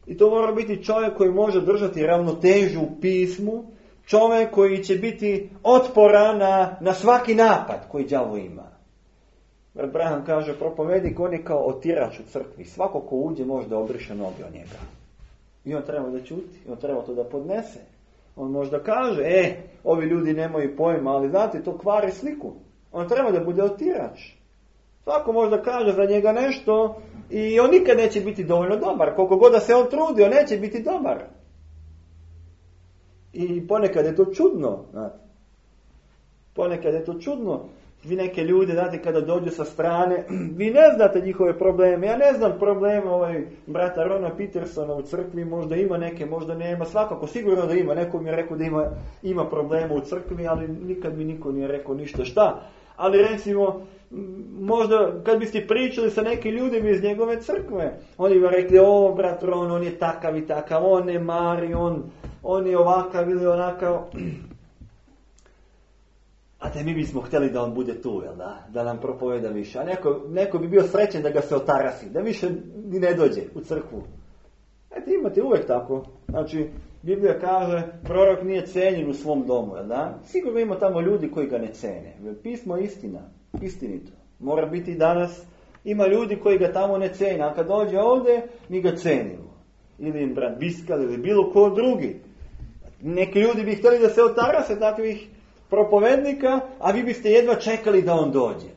A: I to mora biti čovjek koji može držati ravnotežu u pismu, čovjek koji će biti otporan na svaki napad koji đavo ima. Abraham kaže, propovednik, on je kao otirač u crkvi. Svako ko uđe može da obriše noge od njega. I on treba da ćuti, on treba to da podnese. On možda kaže, ovi ljudi nemaju pojma, ali znate, to kvari sliku. On treba da bude otirač. Svako možda kaže za njega nešto i on nikad neće biti dovoljno dobar. Koliko god da se on trudi, on neće biti dobar. I ponekad je to čudno. Znate. Ponekad je to čudno. Vi neke ljude, znate, kada dođu sa strane, vi ne znate njihove probleme. Ja ne znam probleme brata Rona Petersona u crkvi, možda ima neke, možda nema, svakako, sigurno da ima. Neko mi je rekao da ima problema u crkvi, ali nikad mi niko nije rekao ništa šta. Ali recimo, možda kad biste pričali sa nekim ljudima iz njegove crkve, oni bi rekli, brat Ron, on je takav i takav, on ne mari, on je ovakav ili onakav. A te mi bismo htjeli da on bude tu, jel da nam propoveda više. A neko bi bio srećen da ga se otarasi, da više ni ne dođe u crkvu. Imate uvijek tako. Znači, Biblija kaže, prorok nije cenjen u svom domu, da? Sigurno ima tamo ljudi koji ga ne cene. Pismo je istina, istinito. Mora biti danas, ima ljudi koji ga tamo ne cene, a kad dođe ovdje, mi ga cenimo. Ili brat Biskal, ili bilo ko drugi. Neki ljudi bi htjeli da se otarase takvih propovednika, a vi biste jedva čekali da on dođe.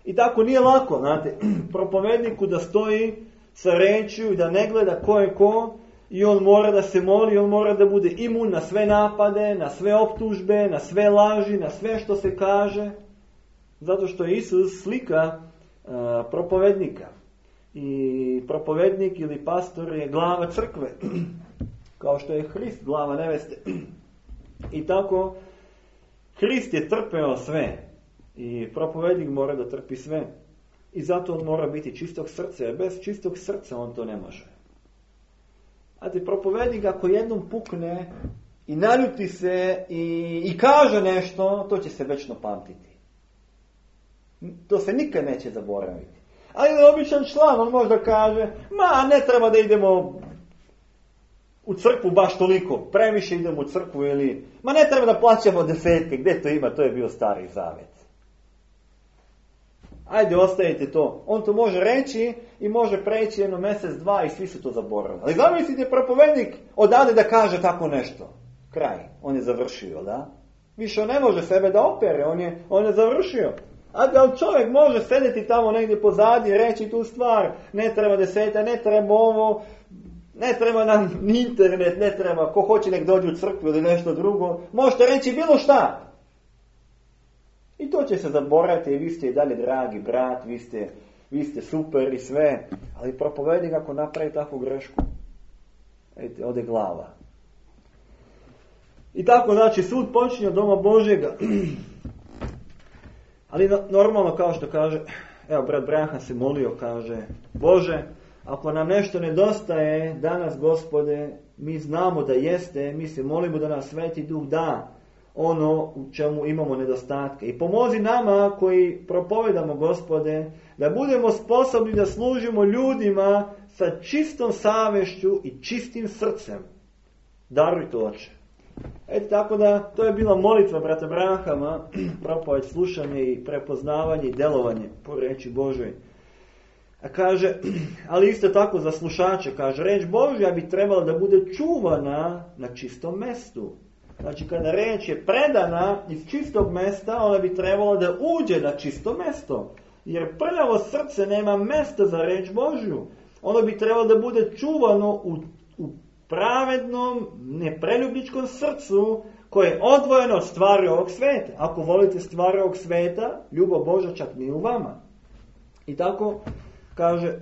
A: I tako nije lako, znate, propovedniku da stoji sa rečju i da ne gleda ko je ko, i on mora da se moli, on mora da bude imun na sve napade, na sve optužbe, na sve laži, na sve što se kaže, zato što je Isus slika propovednika. I propovednik ili pastor je glava crkve, kao što je Hrist glava neveste. I tako, Hrist je trpeo sve i propovednik mora da trpi sve. I zato on mora biti čistog srca, jer bez čistog srca on to ne može. Znate, propovednik ako jednom pukne i naljuti se i kaže nešto, to će se večno pamtiti. To se nikad neće zaboraviti. Ali običan član, on možda kaže, ne treba da idemo u crkvu baš toliko, previše idemo u crkvu ili, ne treba da plaćamo desetke, gdje to ima, to je bio Stari Zavet. Ajde, ostavite to. On to može reći i može preći jedno mjesec, dva i svi su to zaboravili. Ali zamislite, propovednik odade da kaže tako nešto. Kraj. On je završio, da? Više on ne može sebe da opere, on je završio. A da čovjek može sedeti tamo negdje pozadi i reći tu stvar, ne treba deseta, ne treba ovo, ne treba nam ni internet, ne treba, ko hoće nek dođe u crkvu ili nešto drugo, možete reći bilo šta. I to će se zaboraviti i vi ste i dalje dragi brat, vi ste super i sve, ali propovednik ako napravi takvu grešku, vidite, ode glava. I tako, znači, sud počinje od doma Božjega. Ali normalno, kao što kaže, evo, brat Branham se molio, kaže, Bože, ako nam nešto nedostaje danas, Gospode, mi znamo da jeste, mi se molimo da nam Sveti Duh da ono u čemu imamo nedostatke. I pomozi nama koji propovedamo, Gospode, da budemo sposobni da služimo ljudima sa čistom savješću i čistim srcem. Daruj to, Oče. Eto, tako da, to je bila molitva brata Branhama, propoved, slušanje i prepoznavanje i delovanje po reči Božoj. A kaže, ali isto tako za slušače, kaže, reč Božja bi trebala da bude čuvana na čistom mestu. Znači, kada reč je predana iz čistog mesta, ona bi trebala da uđe na čisto mesto. Jer prljavo srce nema mesta za reč Božju. Ono bi trebalo da bude čuvano u pravednom, nepreljubničkom srcu koje je odvojeno od stvari ovog sveta. Ako volite stvari ovog sveta, ljubav Božja čak nije u vama. I tako, kaže,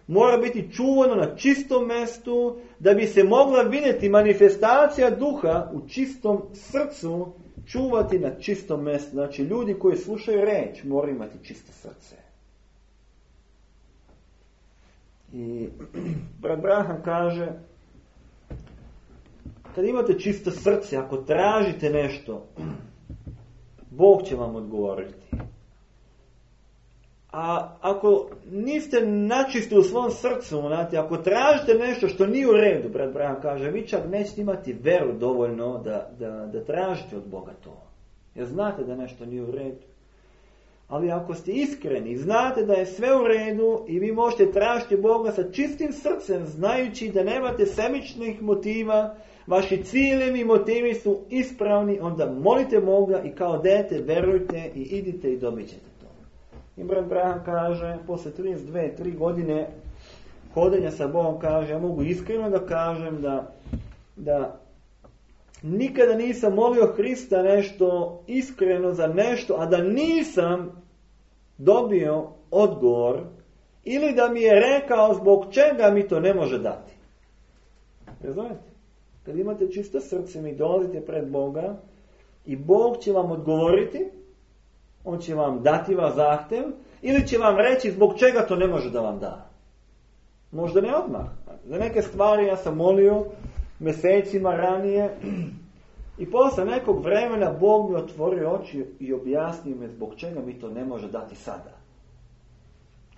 A: mora biti čuvano na čistom mestu da bi se mogla vidjeti manifestacija duha u čistom srcu, čuvati na čistom mestu. Znači, ljudi koji slušaju reč moraju imati čisto srce. I brat Branham kaže, kad imate čisto srce, ako tražite nešto, Bog će vam odgovoriti. A ako niste načisti u svom srcu, znate, ako tražite nešto što nije u redu, brat Branham kaže, vi čak nećete imati veru dovoljno da tražite od Boga to. Jer znate da nešto nije u redu. Ali ako ste iskreni, znate da je sve u redu i vi možete tražiti Boga sa čistim srcem, znajući da nemate sebičnih motiva, vaši ciljevi i motivi su ispravni, onda molite Boga i kao dete verujte i idite i dobit ćete to. I brat Branham kaže, posle 32-3 godine hodenja sa Bogom, kaže, ja mogu iskreno da kažem da nikada nisam molio Hrista nešto iskreno za nešto, a da nisam dobio odgovor ili da mi je rekao zbog čega mi to ne može dati. Razumijete? Kad imate čisto srce, mi dolazite pred Boga i Bog će vam odgovoriti, on će vam dati vas zahtev ili će vam reći zbog čega to ne može da vam da. Možda ne odmah. Za neke stvari ja sam molio mjesecima ranije i posle nekog vremena Bog mi otvorio oči i objasnio me zbog čega mi to ne može dati sada.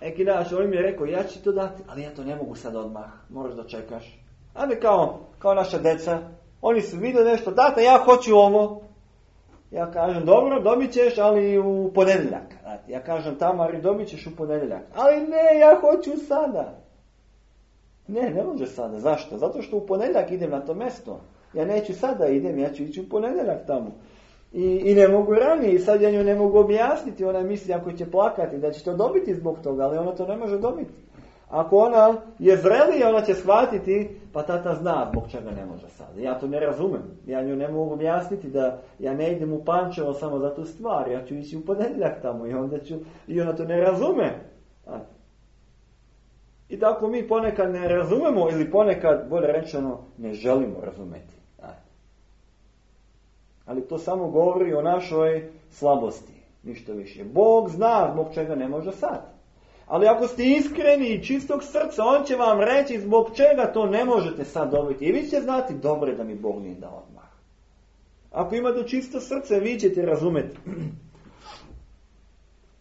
A: Neki dan on mi je rekao, ja ću to dati, ali ja to ne mogu sad odmah, moraš da čekaš. Ali kao naša deca, oni su vidjeli nešto, tata, ja hoću ovo. Ja kažem, dobro, dobit ćeš, ali u ponedjeljak. Ja kažem, Tamari, dobit ćeš u ponedjeljak. Ali ne, ja hoću sada. Ne može sada. Zašto? Zato što u ponedjeljak idem na to mjesto. Ja neću sada idem, ja ću ići u ponedjeljak tamo. I ne mogu ranije, i sad ja nju ne mogu objasniti. Ona misli, ako će plakati, da će to dobiti zbog toga, ali ona to ne može dobiti. Ako ona je zrelija, ona će shvatiti, pa tata zna zbog čega ne može sad. Ja to ne razumem. Ja nju ne mogu objasniti da ja ne idem u Pančevo samo za tu stvar. Ja ću ići u ponedjeljak tamo i ona to ne razume. I tako mi ponekad ne razumemo ili ponekad, bolje rečeno, ne želimo razumeti. Ali to samo govori o našoj slabosti. Ništa više. Bog zna zbog čega ne može sad. Ali ako ste iskreni i čistog srca, on će vam reći zbog čega to ne možete sad dobiti. I vi ćete znati, dobro je da mi Bog nije dao odmah. Ako imate čisto srce, vi ćete razumjeti.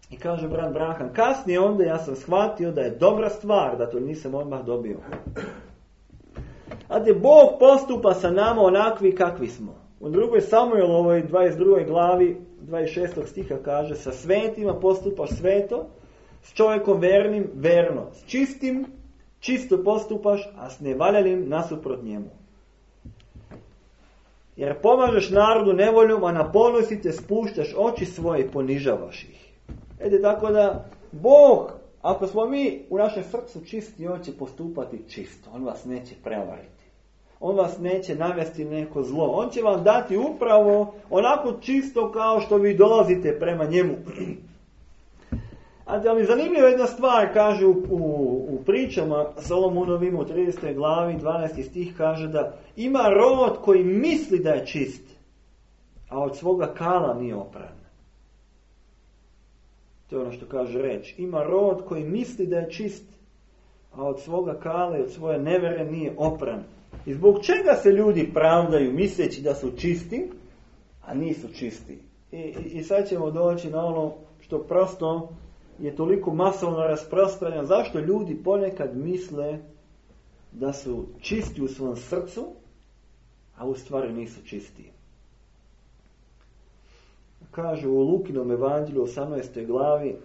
A: I kaže brat Branham, kasnije onda ja sam shvatio da je dobra stvar da to nisam odmah dobio. A da Bog postupa sa nama onakvi kakvi smo. U 2. Samuelovoj 22. glavi 26. stiha kaže, sa svetima postupaš sveto, s čovjekom vernim verno, s čistim čisto postupaš, a s nevaljalim nasuprot njemu. Jer pomažeš narodu nevoljom, a na ponosi te spuštaš oči svoje i ponižavaš ih. Tako da Bog, ako smo mi u našem srcu čisti, on će postupati čisto. On vas neće prevariti. On vas neće navesti neko zlo. On će vam dati upravo onako čisto kao što vi dolazite prema njemu. Ali zanimljiva jedna stvar, kaže u pričama Solomonovim u 30. glavi 12. stih kaže da ima rod koji misli da je čist, a od svoga kala nije opran. To je ono što kaže reč. Ima rod koji misli da je čist, a od svoga kala i od svoje nevere nije opran. I zbog čega se ljudi pravdaju misleći da su čisti, a nisu čisti? I sad ćemo doći na ono što prosto je toliko masovno rasprostranjeno. Zašto ljudi ponekad misle da su čisti u svom srcu, a u stvari nisu čisti? Kaže u Lukinom evanđelju 18. glavi,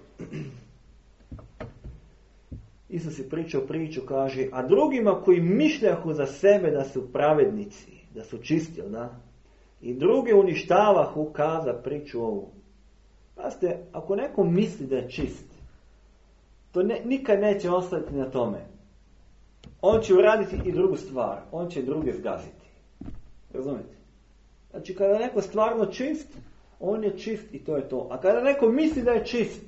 A: Isus je pričao priču, kaže, a drugima koji mišljahu za sebe da su pravednici, da su čisti, da? I druge uništavahu, kaza priču ovu. Pazite, ako neko misli da je čist, to nikad neće ostati na tome. On će uraditi i drugu stvar. On će druge zgaziti. Razumijete? Znači, kada je neko stvarno čist, on je čist i to je to. A kada neko misli da je čist,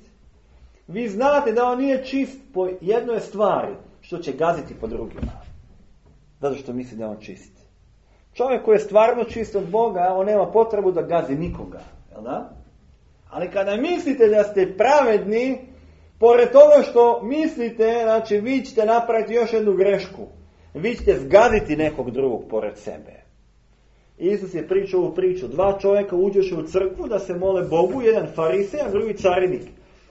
A: vi znate da on nije čist po jednoj stvari, što će gaziti po drugima. Zato što misli da je on čist. Čovjek koji je stvarno čist od Boga, on nema potrebu da gazi nikoga. Jel da? Ali kada mislite da ste pravedni, pored toga što mislite, znači vi ćete napraviti još jednu grešku. Vi ćete zgaziti nekog drugog pored sebe. Isus je pričao ovu priču. 2 čovjeka uđeše u crkvu da se mole Bogu, jedan farisej, a drugi carinik.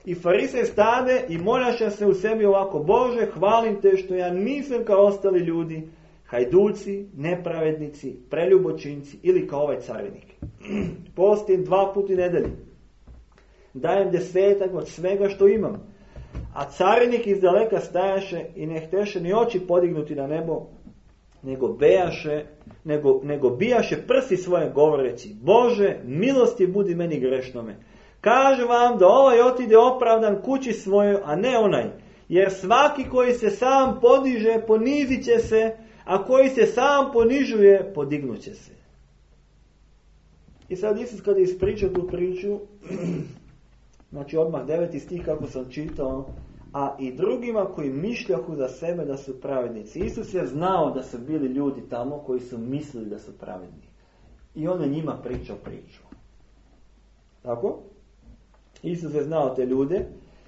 A: I farisej stade i moljaše se u sebi ovako, Bože, hvalim te što ja nisam kao ostali ljudi, hajduci, nepravednici, preljubočinci ili kao ovaj carinik. Postim 2 puta nedelji. Dajem 10 od svega što imam. A carinik iz daleka stajaše i ne hteše ni oči podignuti na nebo, nego bijaše prsi svoje govoreći, Bože, milosti budi meni grešnome. Kažem vam da ovaj otide opravdan kući svojoj, a ne onaj. Jer svaki koji se sam podiže, ponizit će se, a koji se sam ponižuje, podignut će se. I sad Isus kada je ispričao tu priču, znači odmah 9. stih kako sam čitao, a i drugima koji mišljahu za sebe da su pravednici. Isus je znao da su bili ljudi tamo koji su mislili da su pravedni. I on je njima pričao priču. Tako? Isus je znao te ljude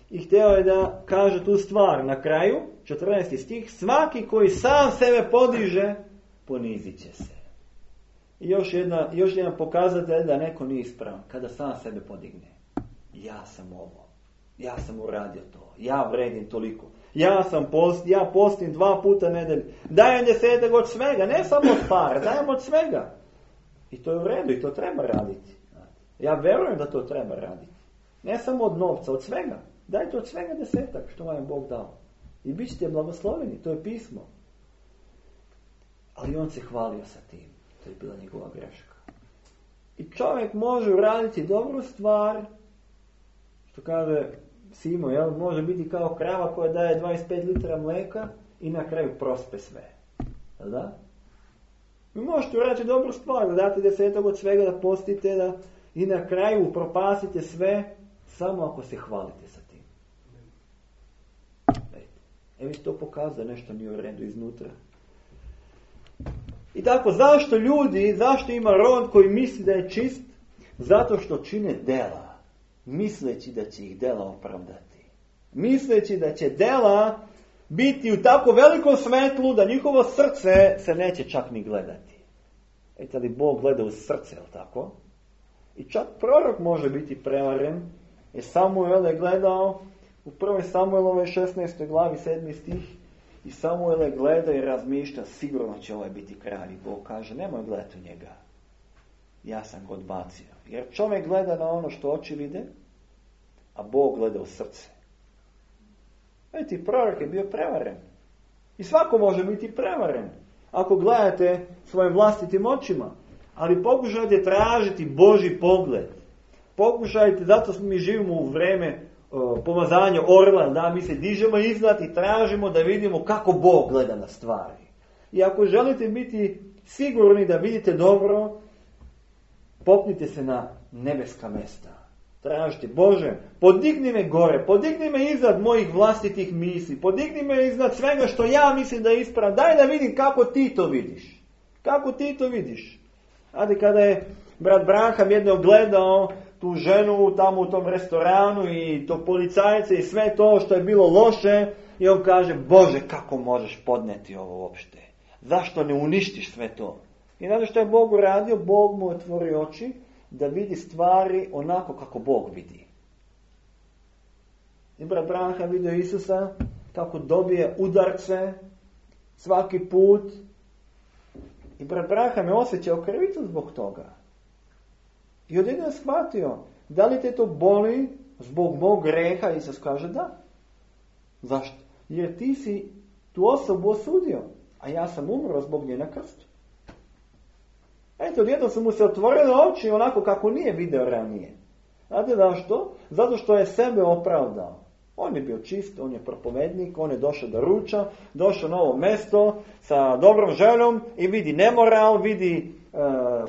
A: i htio je da kaže tu stvar na kraju, 14. stih, svaki koji sam sebe podiže, ponizit će se. I još jedan pokazatelj da neko nije ispravan, kada sam sebe podigne. Ja sam ovo, ja sam uradio to, ja vredim toliko. ja postim 2 puta nedelju. Dajem 10 od svega, ne samo od para, dajem od svega. I to je u redu i to treba raditi. Ja verujem da to treba raditi. Ne samo od novca, od svega. Dajte od svega 10 što vam je Bog dao. I bit ćete blagosloveni, to je pismo. Ali on se hvalio sa tim. To je bila njegova greška. I čovjek može uraditi dobru stvar, što kaže Simo, jel? Može biti kao krava koja daje 25 litra mleka i na kraju prospe sve. Jel da? Vi možete uraditi dobru stvar, da date 10 od svega, da postite, i na kraju upropasite sve, samo ako se hvalite sa tim. Evo to pokazuje nešto nije u redu iznutra. I tako, zašto ima rod koji misli da je čist? Zato što čine dela, misleći da će ih dela opravdati. Misleći da će dela biti u tako velikom svetlu da njihovo srce se neće čak ni gledati. Eto li Bog gleda u srce, jel tako? I čak prorok može biti prevaren, jer Samuel je gledao u 1. Samuelove 16. glavi 7. stih, i Samuel je gleda i razmišlja, sigurno će ovaj biti kralj. I Bog kaže, nemoj gledati u njega. Ja sam ga odbacio. Jer čovjek gleda na ono što oči vide, a Bog gleda u srce. Vidite, prorok je bio prevaren. I svako može biti prevaren. Ako gledate svojim vlastitim očima. Ali pokušajte tražiti Božji pogled. Pokušajte, zato mi živimo u vreme pomazanja orla, da mi se dižemo iznad i tražimo da vidimo kako Bog gleda na stvari. I ako želite biti sigurni da vidite dobro, popnite se na nebeska mjesta. Tražite, Bože, podigni me gore, podigni me iznad mojih vlastitih misli, podigni me iznad svega što ja mislim da je ispravno. Daj da vidim kako ti to vidiš. Kako ti to vidiš. Adi kada je brat Branham jednom gledao tu ženu tamo u tom restoranu i tog policajca i sve to što je bilo loše, i on kaže, Bože, kako možeš podneti ovo uopšte? Zašto ne uništiš sve to? I znate što je Bog uradio? Bog mu otvorio oči da vidi stvari onako kako Bog vidi. I brat Branham vidio Isusa kako dobije udarce svaki put. I brat Branham je osjećao krivicu zbog toga. I odjednom je shvatio, da li te to boli zbog mog greha? Isus kaže da. Zašto? Jer ti si tu osobu osudio, a ja sam umro zbog nje na krstu. Eto, odjednom su mu se otvorile oči onako kako nije video ranije. Znate zašto? Zato što je sebe opravdao. On je bio čist, on je propovednik, on je došao da ruča, došao na ovo mesto sa dobrom željom i vidi nemoral, vidi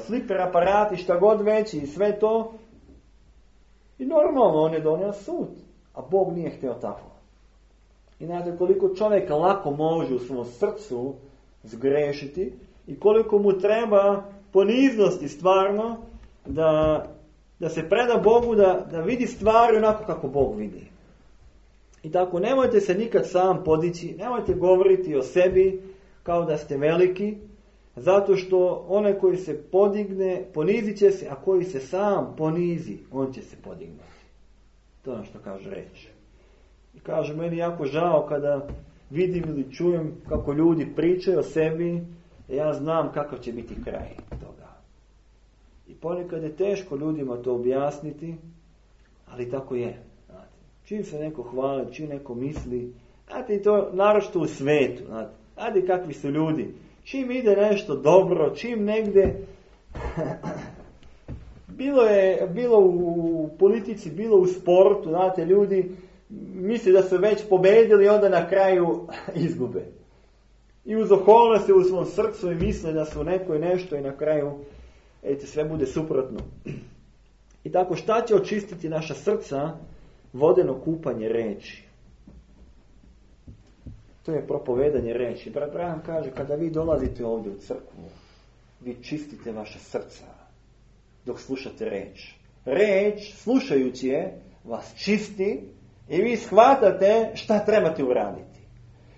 A: fliper aparati, šta god već i sve to. I normalno on je donio sud, a Bog nije htio tako. I znate koliko čovjeka lako može u svom srcu zgrešiti i koliko mu treba poniznosti stvarno da se preda Bogu, da vidi stvari onako kako Bog vidi. I tako, nemojte se nikad sam podići, nemojte govoriti o sebi kao da ste veliki, zato što onaj koji se podigne, ponizit će se, a koji se sam ponizi, on će se podignuti. To je ono što kaže reč. I kaže, meni jako žao kada vidim ili čujem kako ljudi pričaju o sebi, ja znam kakav će biti kraj toga. I ponekad je teško ljudima to objasniti, ali tako je. Čim se neko hvali, čim neko misli, znate i to naročito u svetu, znate kakvi su ljudi. Čim ide nešto dobro, čim negdje, bilo u politici, bilo u sportu, znate, ljudi misle da su već pobedili, onda na kraju izgube. I uz okolnosti u svom srcu i misle da su neko i nešto i na kraju sve bude suprotno. I tako, šta će očistiti naša srca? Vodeno kupanje reči. To je propovedanje reči. Brat Branham kaže, kada vi dolazite ovdje u crkvu, vi čistite vaša srca dok slušate reč. Reč, slušajući je, vas čisti i vi shvatate šta trebate uraditi.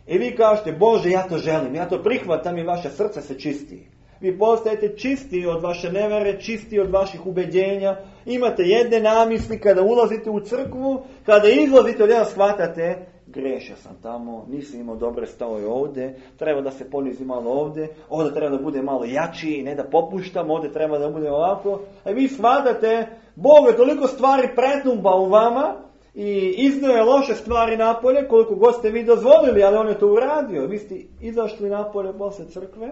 A: I vi kažete, Bože, ja to želim, ja to prihvatam i vaše srce se čisti. Vi postajete čisti od vaše nevere, čisti od vaših ubeđenja. Imate jedne namisli kada ulazite u crkvu, kada izlazite, odjednom shvatate, grešio sam tamo, nisam imao dobre stavove ovdje, treba da se ponizi malo ovdje treba da bude malo jači, ne da popuštam, ovdje treba da bude ovako. A vi shvatate, Bog je toliko stvari pretnumba u vama i iznio je loše stvari napolje, koliko god ste vi dozvolili, ali on je to uradio. Vi ste izašli napolje posle crkve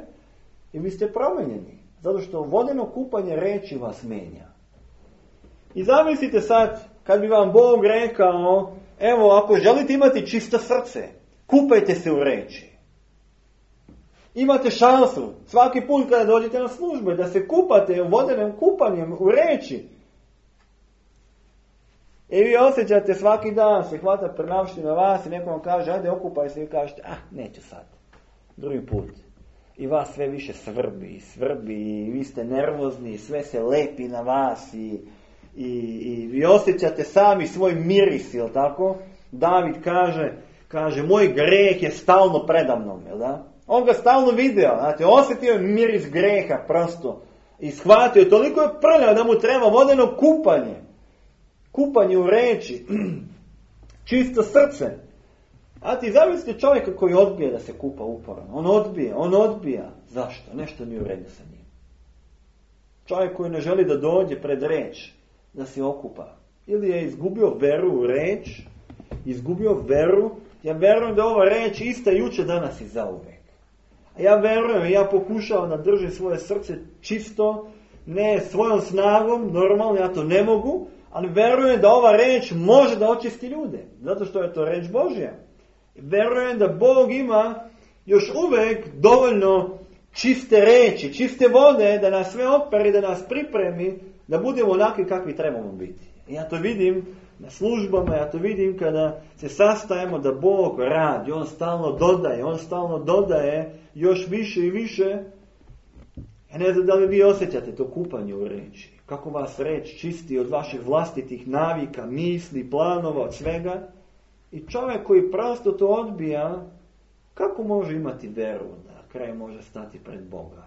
A: i vi ste promenjeni. Zato što vodeno kupanje reči vas menja. I zamislite sad, kad bi vam Bog rekao, evo, ako želite imati čisto srce, kupajte se u reči. Imate šansu, svaki put kada dođete na službu, da se kupate vodenim kupanjem u reči. I vi osjećate svaki dan, se hvata prenavština vas i neko vam kaže, ajde okupaj se i kažete, neću sad, drugi put. I vas sve više svrbi i vi ste nervozni, sve se lepi na vas i vi osjećate sami svoj miris, jel tako? David kaže, moj greh je stalno predamnom, jel da? On ga stalno video, znate, osjetio je miris greha prosto i shvatio, toliko je prljao da mu treba vodeno kupanje u reči, čisto srce. A ti zamislite čovjeka koji odbija da se kupa uporno. On odbija. Zašto? Nešto nije u redu sa njim. Čovjek koji ne želi da dođe pred reč, da se okupa. Ili je izgubio veru u reč, ja verujem da ova reč ista juče, danas i zauvek. A ja verujem, ja pokušavam da držim svoje srce čisto, ne svojom snagom, normalno ja to ne mogu, ali verujem da ova reč može da očisti ljude, zato što je to reč Božja. Verujem da Bog ima još uvek dovoljno čiste reči, čiste vode, da nas sve operi, da nas pripremi, da budemo onakvi kakvi trebamo biti. I ja to vidim na službama, ja to vidim kada se sastajemo da Bog radi, On stalno dodaje još više i više. Ja ne znam da li vi osjećate to kupanje u reči. Kako vas reč čisti od vaših vlastitih navika, misli, planova, od svega. I čovjek koji prosto to odbija, kako može imati veru da kraj može stati pred Boga?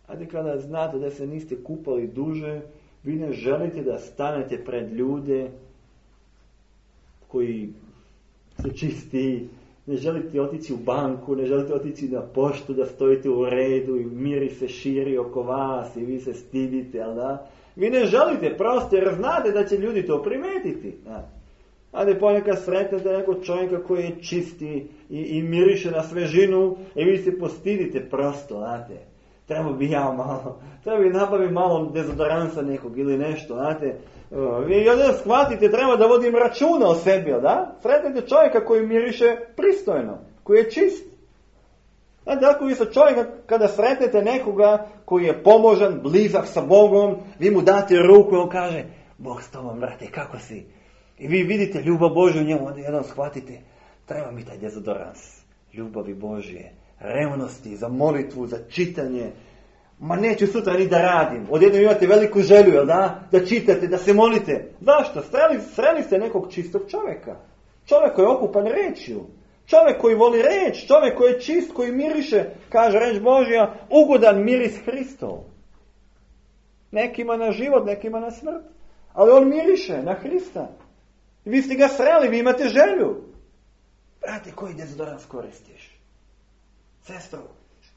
A: Ajde kada znate da se niste kupali duže, vi ne želite da stanete pred ljude koji su čisti, ne želite otići u banku, ne želite otići na poštu da stojite u redu i miris se širi oko vas i vi se stidite, ali da? Vi ne želite prosto jer znate da će ljudi to primetiti. Ajde ponekad sretnete nekog čovjeka koji je čisti i miriše na svežinu i vi se postidite prosto, znate. Treba bi nabaviti malo dezodoransa nekog ili nešto, znate. Vi onda shvatite, treba da vodim računa o sebi, da? Sretnete čovjeka koji miriše pristojno, koji je čist. Znate, ako vi sa čovjeka, kada sretnete nekoga koji je pomožan, blizak sa Bogom, vi mu date ruku i on kaže, Bog s tobom, brate, kako si? I vi vidite ljubav Božju u njemu, onda jedan shvatite, treba mi taj dezodorans, ljubavi Božje, revnosti, za molitvu, za čitanje. Ma neću sutra ni da radim. Odjednom imate veliku želju, jel da? Da čitate, da se molite. Zašto? Sreli ste nekog čistog čovjeka. Čovjek koji je okupan rečju. Čovjek koji voli reč. Čovjek koji je čist, koji miriše, kaže reč Božja, ugodan miris Hristov. Nekima na život, nekima na smrt. Ali on miriše na Hrista. Vi ste ga sreli, vi imate želju. Brate, koji dezodorans koristiš? Sestro,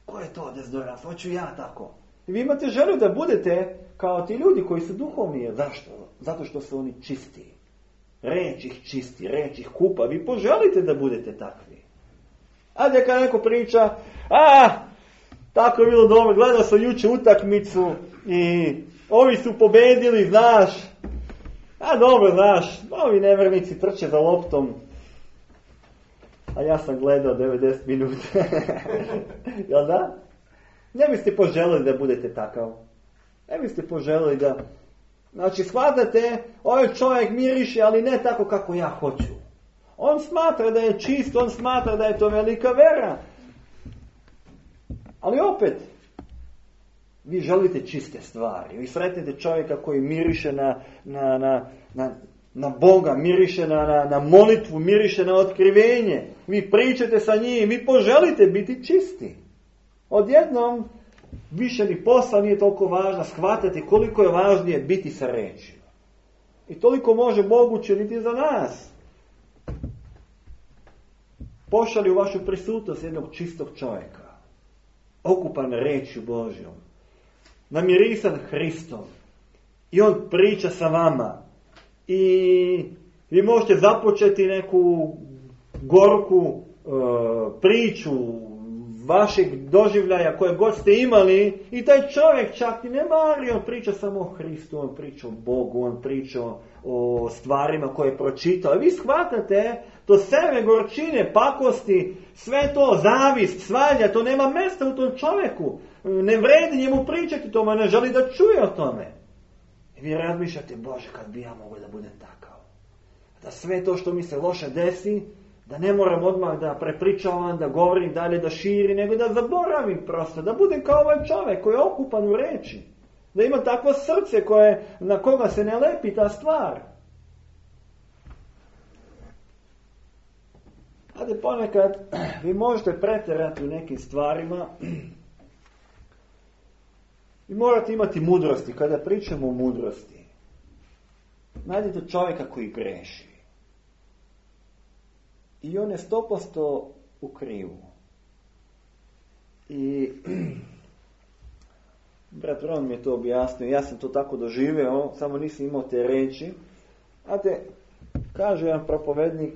A: ko je to dezodorans? Hoću ja tako. I vi imate želju da budete kao ti ljudi koji su duhovni. Zašto? Zato što su oni čisti. Reč ih čisti, reč ih kupa. Vi poželite da budete takvi. Ajde kad neko priča, tako je bilo dobro, gledao sam juče utakmicu i ovi su pobedili, znaš. Dobro, znaš, ovi nevjernici trče za loptom. A ja sam gledao 90 minuta. Jel da? Ne biste poželili da budete takav. Ne biste poželili da... Znači, shvatate, ovaj čovjek miriše, ali ne tako kako ja hoću. On smatra da je čist, on smatra da je to velika vera. Ali opet, vi želite čiste stvari. Vi sretnete čovjeka koji miriše na Boga, miriše na molitvu, miriše na otkrivenje. Vi pričate sa njim, vi poželite biti čisti. Odjednom, više ni posla nije toliko važno, shvatati koliko je važnije biti sa rečima. I toliko može Bog učiniti za nas. pošalje u vašu prisutnost jednog čistog čovjeka, okupan rečju Božjom, namirisan Hristom, i on priča sa vama, i vi možete započeti neku gorku priču vašeg doživljaja koje god ste imali, i taj čovjek čak i ne mari, on priča samo o Hristu, on priča o Bogu, on priča o stvarima koje je pročitao. I vi shvatate, to seme gorčine, pakosti, sve to, zavist, svalja, to nema mjesta u tom čovjeku. Ne vredi njemu pričati tome, ne želi da čuje o tome. I vi razmišljate, Bože, kad bi ja mogao da budem takav. Da sve to što mi se loše desi, da ne moram odmah da prepričavam, da govorim dalje, da širi, nego da zaboravim prosto, da budem kao ovaj čovjek koji je okupan u reči. Da ima takvo srce na koga se ne lepi ta stvar. Ade ponekad vi možete pretjerati u nekim stvarima i morate imati mudrosti. Kada pričamo o mudrosti, nađete čovjeka koji greši. I on je 100% u krivu. I brat Ron mi je to objasnio, ja sam to tako doživio, samo nisam imao te reči. Znate, kaže jedan propovednik,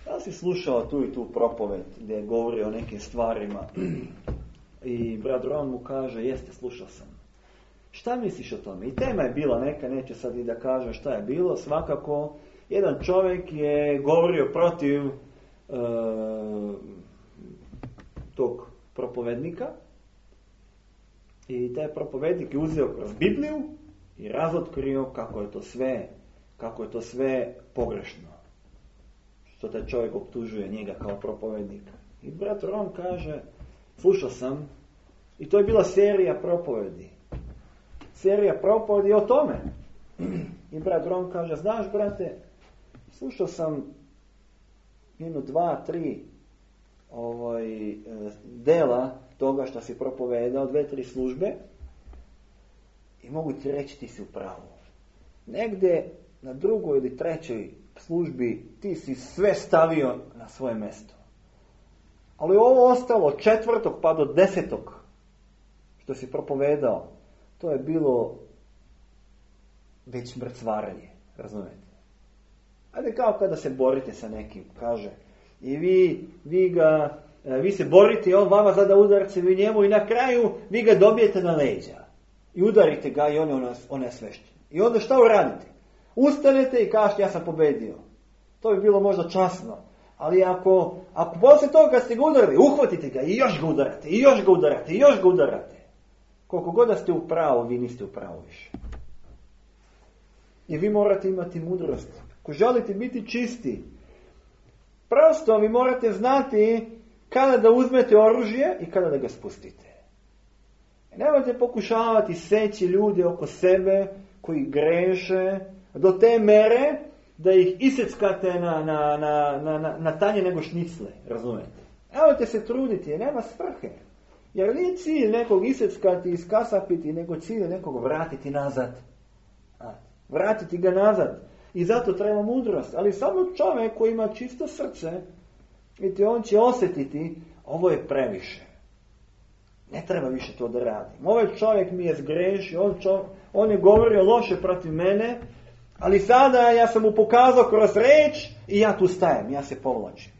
A: da si slušao tu i tu propoved gdje je govorio o nekim stvarima, i brat Ron mu kaže, jeste, slušao sam. Šta misliš o tome? I tema je bila neka, neću sad i da kažem šta je bilo, svakako jedan čovjek je govorio protiv tog propovednika, i taj propovednik je uzeo kroz Bibliju i razotkrio kako je to sve pogrešno, što taj čovjek optužuje njega kao propovednika. I brat Ron kaže, slušao sam, i to je bila serija propovedi o tome. I brat Ron kaže, znaš brate, slušao sam 1, 2, 3 dela toga što si propovedao, 2, 3 službe, i mogu ti reći ti si u pravu. Negde na 2. ili 3. službi ti si sve stavio na svoje mjesto. Ali ovo ostalo od 4. pa do 10. što si propovedao, to je bilo već mrcvarenje, razumijete? Ajde kao kada se borite sa nekim, kaže, i vi se borite, on vama zada udarce, vi njemu, i na kraju vi ga dobijete na leđa. I udarite ga i on je onesvešten. I onda šta uradite? Ustanete i kažete, ja sam pobedio. To bi bilo možda časno. Ali ako poslije toga kad ste ga udarili, uhvatite ga i još ga udarate, i još ga udarate, i još ga udarate. Koliko god da ste u pravu, vi niste u pravu više. I vi morate imati mudrost. Ako želite biti čisti, prosto vi morate znati kada da uzmete oružje i kada da ga spustite. Nemojte pokušavati seći ljude oko sebe koji greše do te mere da ih iseckate na tanje nego šnicle, razumete? Nemojte se truditi, jer nema svrhe. Jer nije cilj nekog iseckati i iskasapiti, nego cilj nekog vratiti nazad. Vratiti ga nazad. I zato treba mudrost. Ali samo čovjek koji ima čisto srce, vidite, on će osjetiti, ovo je previše. Ne treba više to da radim. Ovaj čovjek mi je zgrešio, on je govorio loše protiv mene, ali sada ja sam mu pokazao kroz reč i ja tu stajem, ja se povlačim.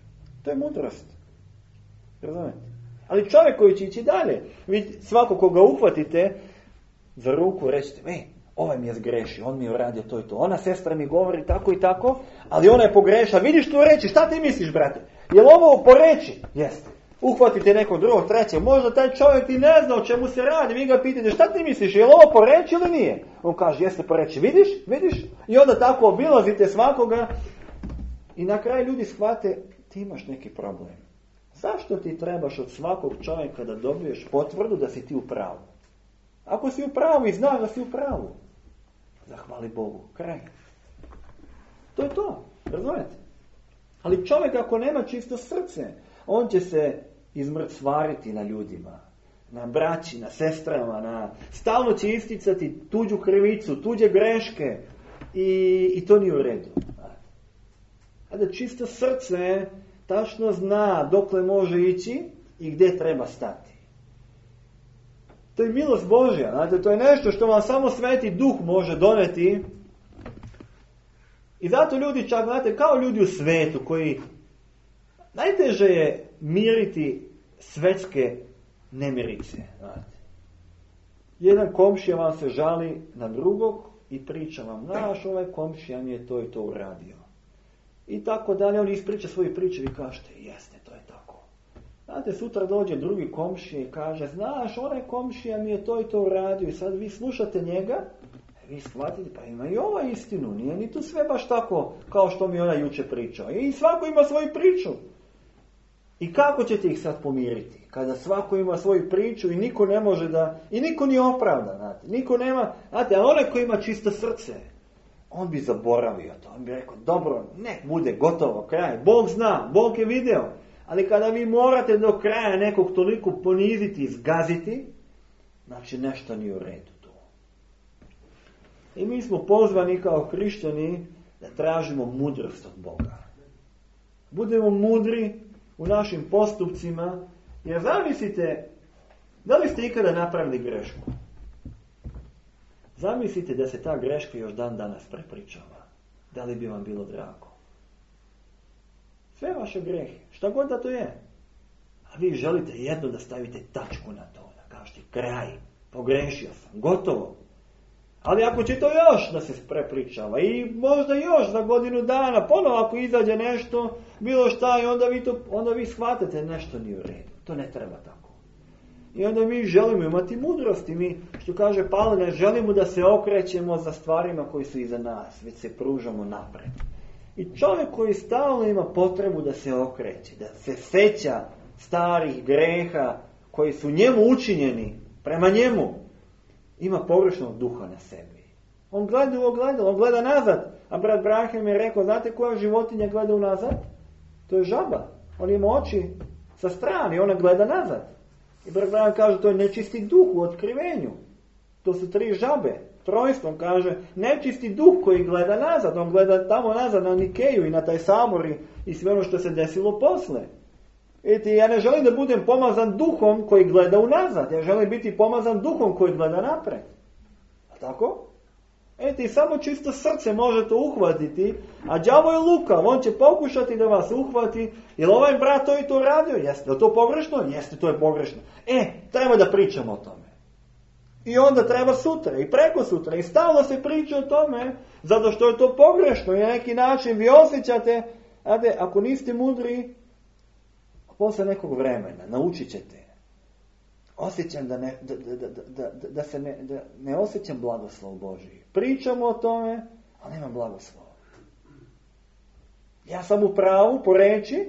A: To je mudrost. Razumete? Ali čovjek koji će ići dalje, vi svako koga uhvatite za ruku, rećete, ovaj mi je zgrešio, on mi je uradio to i to. Ona sestra mi govori tako i tako, ali ona je pogreša. Vidiš tu reći, šta ti misliš, brate? Je li ovo po reči? Jeste. Uhvatite nekog drugog, trećeg. Možda taj čovjek i ne zna o čemu se radi. Vi ga pitate, šta ti misliš, je li ovo po reči ili nije? On kaže, jeste po reči. Vidiš? I onda tako obilazite svakoga. I na kraju ljudi shvate, ti imaš neki problem. Zašto ti trebaš od svakog čovjeka da dobiješ potvrdu da si ti u pravu? Ako si u pravu i znaš da si u pravu, zahvali Bogu. Kraj. To je to. Razumete? Ali čovjek ako nema čisto srce, on će se izmrcvariti na ljudima, na braći, na sestrama, stalno će isticati tuđu krivicu, tuđe greške i to nije u redu. A da čisto srce, tačno zna dokle može ići i gdje treba stati. To je milost Božja, znate, to je nešto što vam samo Sveti Duh može doneti. I zato ljudi čak, znate, kao ljudi u svetu koji najteže je miriti svetske nemirice. Znate. Jedan komšija vam se žali na drugog i priča vam, znaš, ovaj komšija mi je to i to uradio. I tako dalje, on ispriča svoju priču i kažete, jeste, to je tako. Znate, sutra dođe drugi komšija i kaže, znaš, onaj komšija mi je to i to uradio. I sad vi slušate njega, vi shvatite, pa ima i ova istinu, nije ni tu sve baš tako kao što mi ona juče pričao. I svako ima svoju priču. I kako ćete ih sad pomiriti? Kada svako ima svoju priču i niko ne može da, i niko nije opravdan, znate, niko nema, znate, a onaj koji ima čisto srce, on bi zaboravio to, on bi rekao, dobro, nek bude gotovo, kraj, Bog zna, Bog je video, ali kada vi morate do kraja nekog toliko poniziti i zgaziti, znači nešto nije u redu tu. I mi smo pozvani kao hrišćani da tražimo mudrost od Boga. Budemo mudri u našim postupcima, jer zamislite, da li ste ikada napravili grešku? Zamislite da se ta greška još dan danas prepričava. Da li bi vam bilo drago? Sve vaše grehe, šta god da to je. A vi želite jedno da stavite tačku na to, da kažete kraj, pogrešio sam, gotovo. Ali ako će to još da se prepričava i možda još za godinu dana, ponovo ako izađe nešto, bilo šta i onda vi shvatate nešto nije u redu. To ne treba tako. I onda mi želimo imati mudrost i mi, što kaže Pavle, ne želimo da se okrećemo za stvarima koji su iza nas, već se pružamo napred. I čovjek koji stalno ima potrebu da se okreće, da se seća starih greha koji su njemu učinjeni, prema njemu, ima pogrešnog duha na sebi. On gleda u ogledalo, on gleda nazad. A brat Brahem je rekao, znate koja životinja gleda unazad? To je žaba. On ima oči sa strane i ona gleda nazad. I brat Brahem kaže, to je nečisti duh u otkrivenju. To su 3 žabe. Trojstvom kaže, nečisti duh koji gleda nazad. On gleda tamo nazad na Nikeju i na taj sabor i sve ono što se desilo posle. Vidite, ja ne želim da budem pomazan duhom koji gleda unazad. Ja želim biti pomazan duhom koji gleda napred. A tako? Vidite, samo čisto srce može to uhvatiti, a đavo je lukav, on će pokušati da vas uhvati, jer ovaj brat to i to radio. Jeste li to pogrešno? Jeste, to je pogrešno. Treba da pričamo o tome. I onda treba sutra i preko sutra i stalno se priča o tome, zato što je to pogrešno i na neki način vi osjećate, ako niste mudri, posle nekog vremena naučit ćete. Osjećam da ne osjećam blagoslov Božji. Pričamo o tome, ali nema blagoslova. Ja sam u pravu po reči,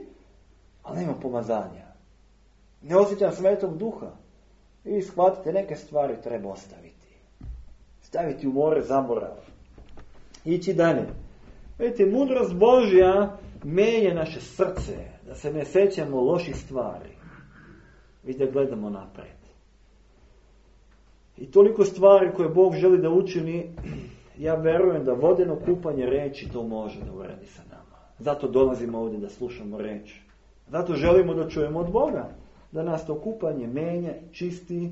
A: ali nema pomazanja. Ne osjećam Svetog Duha. I shvatite, neke stvari treba ostaviti. Staviti u more zaborava. Ići dalje. Vidite, mudrost Božja menja naše srce, da se ne sećamo loših stvari. Vidite, gledamo napred. I toliko stvari koje Bog želi da učini, ja verujem da vodeno kupanje reči to može da uradi sa nama. Zato dolazimo ovdje da slušamo reč. Zato želimo da čujemo od Boga. Da nas to kupanje menja, čisti.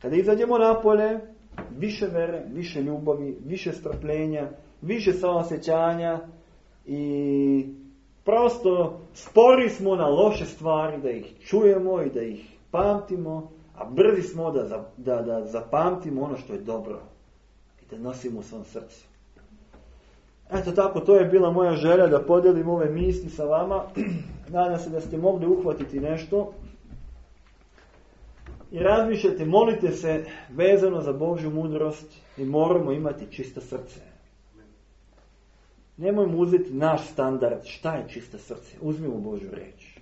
A: Kada izađemo napolje, više vere, više ljubavi, više strpljenja, više saosećanja i prosto spori smo na loše stvari da ih čujemo i da ih pamtimo, a brzi smo da zapamtimo ono što je dobro i da nosimo u svom srcu. Eto tako, to je bila moja želja da podijelim ove misli sa vama. Nadam se da ste mogli uhvatiti nešto. I razmišljajte, molite se vezano za Božju mudrost i moramo imati čisto srce. Nemojmo uzeti naš standard, šta je čisto srce. Uzmimo Božju reč.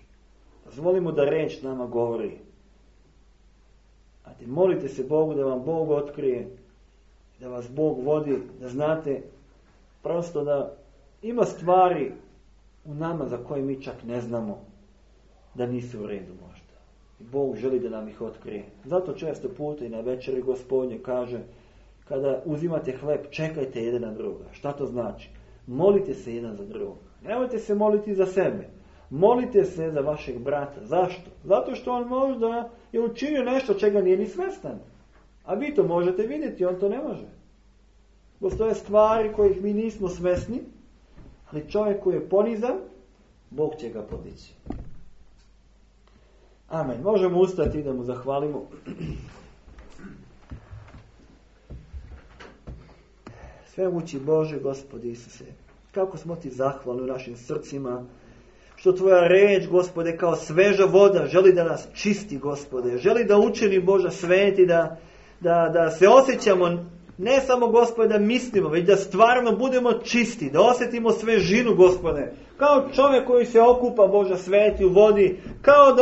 A: Dozvolimo da reč nama govori. Molite se Bogu da vam Bog otkrije, da vas Bog vodi, da znate prosto da ima stvari u nama za koje mi čak ne znamo da nisu u redu možda. I Bog želi da nam ih otkrije. Zato često puta i na večeri Gospodnje kaže, kada uzimate hleb, čekajte jedan na druga. Šta to znači? Molite se jedan za druga. Nemojte se moliti za sebe. Molite se za vašeg brata. Zašto? Zato što on možda je učinio nešto čega nije ni svestan. A vi to možete vidjeti, on to ne može. Postoje stvari kojih mi nismo svesni, ali čovjek koji je ponizan, Bog će ga podići. Amen. Možemo ustati da mu zahvalimo. Svemogući Bože, Gospodi Isuse, kako smo ti zahvalni u našim srcima, što tvoja reč, Gospode, kao sveža voda želi da nas čisti, Gospode. Želi da učini, Boža sveti, da se osjećamo, ne samo, Gospode, da mislimo, već da stvarno budemo čisti, da osjetimo svežinu, Gospode. Kao čovjek koji se okupa, Boža sveti, u vodi, kao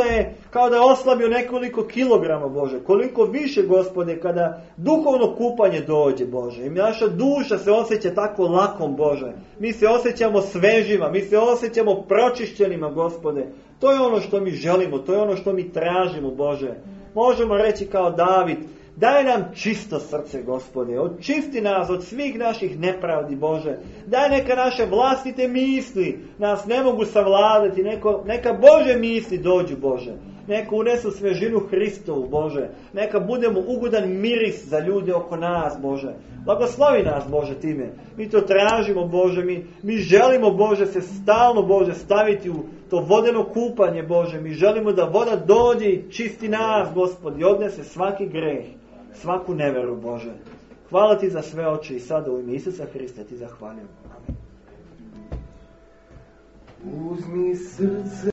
A: da je oslabio nekoliko kilograma, Bože. Koliko više, Gospode, kada duhovno kupanje dođe, Bože. I naša duša se osjeća tako lakom, Bože. Mi se osjećamo svežima, mi se osjećamo pročišćenima, Gospode. To je ono što mi želimo, to je ono što mi tražimo, Bože. Možemo reći kao David: daj nam čisto srce, Gospode, očisti nas od svih naših nepravdi, Bože. Daj neka naše vlastite misli nas ne mogu savladati, neka Bože misli dođu, Bože. Neka unesu svežinu Hristovu, Bože. Neka budemo ugodan miris za ljude oko nas, Bože. Blagoslovi nas, Bože, time. Mi to tražimo, Bože. Mi želimo, Bože, se stalno, Bože, staviti u to vodeno kupanje, Bože. Mi želimo da voda dođe i čisti nas, Gospod, i odnese svaki greh, svaku neveru, Bože. Hvala ti za sve, Oče, i sada u ime Isusa Hrista ti zahvaljujem. Amen.
B: Uzmi srce